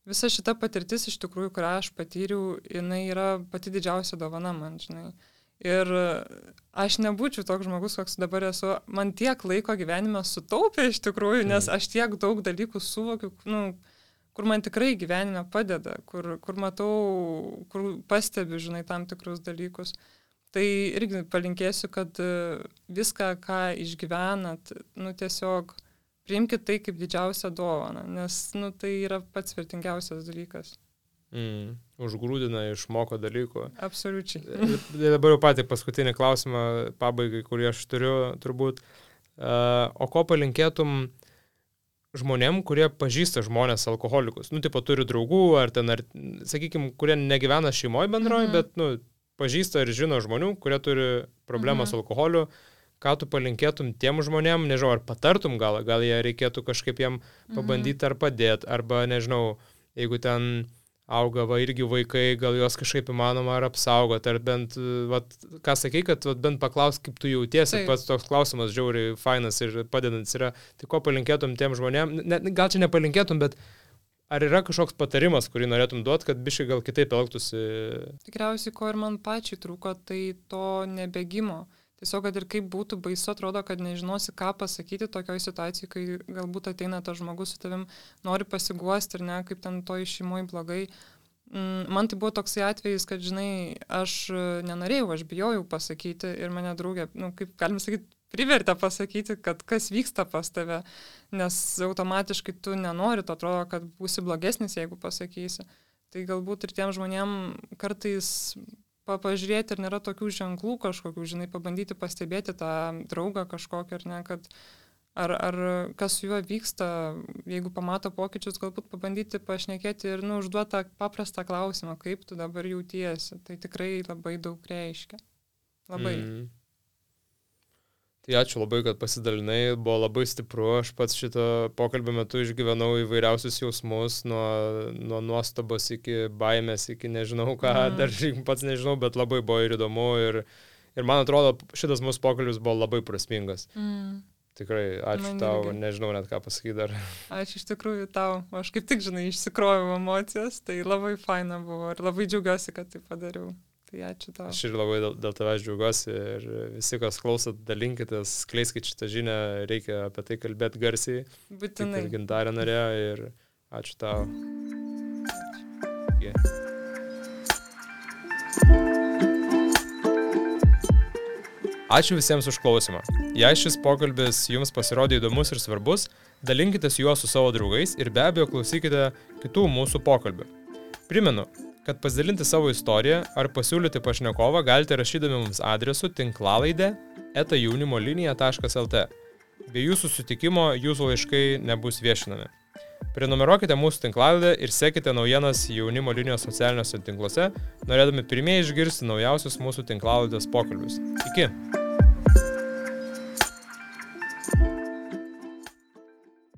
visa šita patirtis iš tikrųjų, kurią aš patyriau, jinai yra pati didžiausia dovana man, žinai. Ir aš nebūčiau toks žmogus, koks dabar esu, man tiek laiko gyvenime sutaupė iš tikrųjų, nes aš tiek daug dalykų suvokiu, nu, kur man tikrai gyvenime padeda, kur, kur matau, kur pastebiu, žinai, tam tikrus dalykus. Tai irgi palinkėsiu, kad viską, ką išgyvenat, nu tiesiog priimkit tai kaip didžiausią dovaną, nes, nu, tai yra pats vertingiausias dalykas. Mm, užgrūdina, išmoko dalykų. Absoliučiai. Dabar jau patį paskutinį klausimą pabaigai, kurį aš turiu, turbūt. Uh, o ko palinkėtum žmonėm, kurie pažįsta žmonės alkoholikus? Nu, tipo, turi draugų, ar ten, ar, sakykime, kurie negyvena šeimoje bendroje, mm-hmm. bet, nu, pažįsta ir žino žmonių, kurie turi problemą mm-hmm. su alkoholiu. Ką tu palinkėtum tiem žmonėm, nežinau, ar patartum gal, gal jie reikėtų kažkaip jiem pabandyti mm-hmm. ar padėti, arba, nežinau, jeigu ten auga va irgi vaikai, gal juos kažkaip įmanoma ar apsaugoti, ar bent, vat, ką sakai, kad vat, bent paklaus, kaip tu jautiesi, Taip. Pats toks klausimas žiauriai fainas ir padedantis yra, tai ko palinkėtum tiem žmonėm, ne, gal čia nepalinkėtum, bet ar yra kažkoks patarimas, kurį norėtum duoti, kad biškai gal kitaip elgtųsi? Tikriausiai, ko ir man pačiai trūko, tai to nebėgimo. Tiesiog, kad ir kaip būtų baisu, atrodo, kad nežinosi, ką pasakyti tokioj situacijai, kai galbūt ateina tas žmogus su tavim, nori pasiguosti ir ne, kaip ten toj šeimoj blogai. Man tai buvo toksai atvejis, kad, žinai, aš nenorėjau, aš bijojau pasakyti ir mane draugė, nu, kaip galima sakyti, privertė pasakyti, kad kas vyksta pas tave, nes automatiškai tu nenori, to atrodo, kad būsi blogesnis, jeigu pasakysi. Tai galbūt ir tiem žmonėm kartais pažiūrėti, ar nėra tokių ženklų kažkokių, žinai, pabandyti pastebėti tą draugą kažkokį, ar ne, kad ar, ar kas su juo vyksta, jeigu pamato pokyčius, galbūt pabandyti pašnekėti ir, nu, užduoti tą paprastą klausimą, kaip tu dabar jautiesi. Tai tikrai labai daug reiškia. Labai. Mm. Tai ačiū labai, kad pasidalinai, buvo labai stipru, aš pats šito pokalbio metu išgyvenau įvairiausius jausmus, nuo, nuo nuostabos iki baimės, iki nežinau ką, mm. dar pats nežinau, bet labai buvo ir įdomu ir, ir man atrodo, šitas mūsų pokalbis buvo labai prasmingas. Mm. Tikrai, ačiū man tau, irgi. Nežinau net ką pasakyti dar. Ačiū iš tikrųjų tau, aš kaip tik, žinai, išsikroviau emocijas, tai labai faina buvo ir labai džiaugiuosi, kad tai padariau. Tai ačiū tau. Aš ir labai dėl, dėl tavęs džiaugiuosi ir visi, kas klausot, dalinkitės, skleiskit šitą žinią, reikia apie tai kalbėti garsiai. Būtinai. Kaip ir Gintarė norėjo ir ačiū tau. Ačiū. Yeah. Ačiū visiems už klausimą. Jei šis pokalbis jums pasirodė įdomus ir svarbus, dalinkitės juo su savo draugais ir be abejo klausykite kitų mūsų pokalbių. Primenu, kad pasidalinti savo istoriją ar pasiūlyti pašnekovą galite rašydami mums adresu tinklalaidė eta jaunimo linija taškas lt. Be jūsų sutikimo jūsų laiškai nebus viešinami. Prenumeruokite mūsų tinklalaidę ir sekite naujienas Jaunimo linijos socialiniuose tinkluose, norėdami pirmieji išgirsti naujausius mūsų tinklalaidės pokalbius. Iki!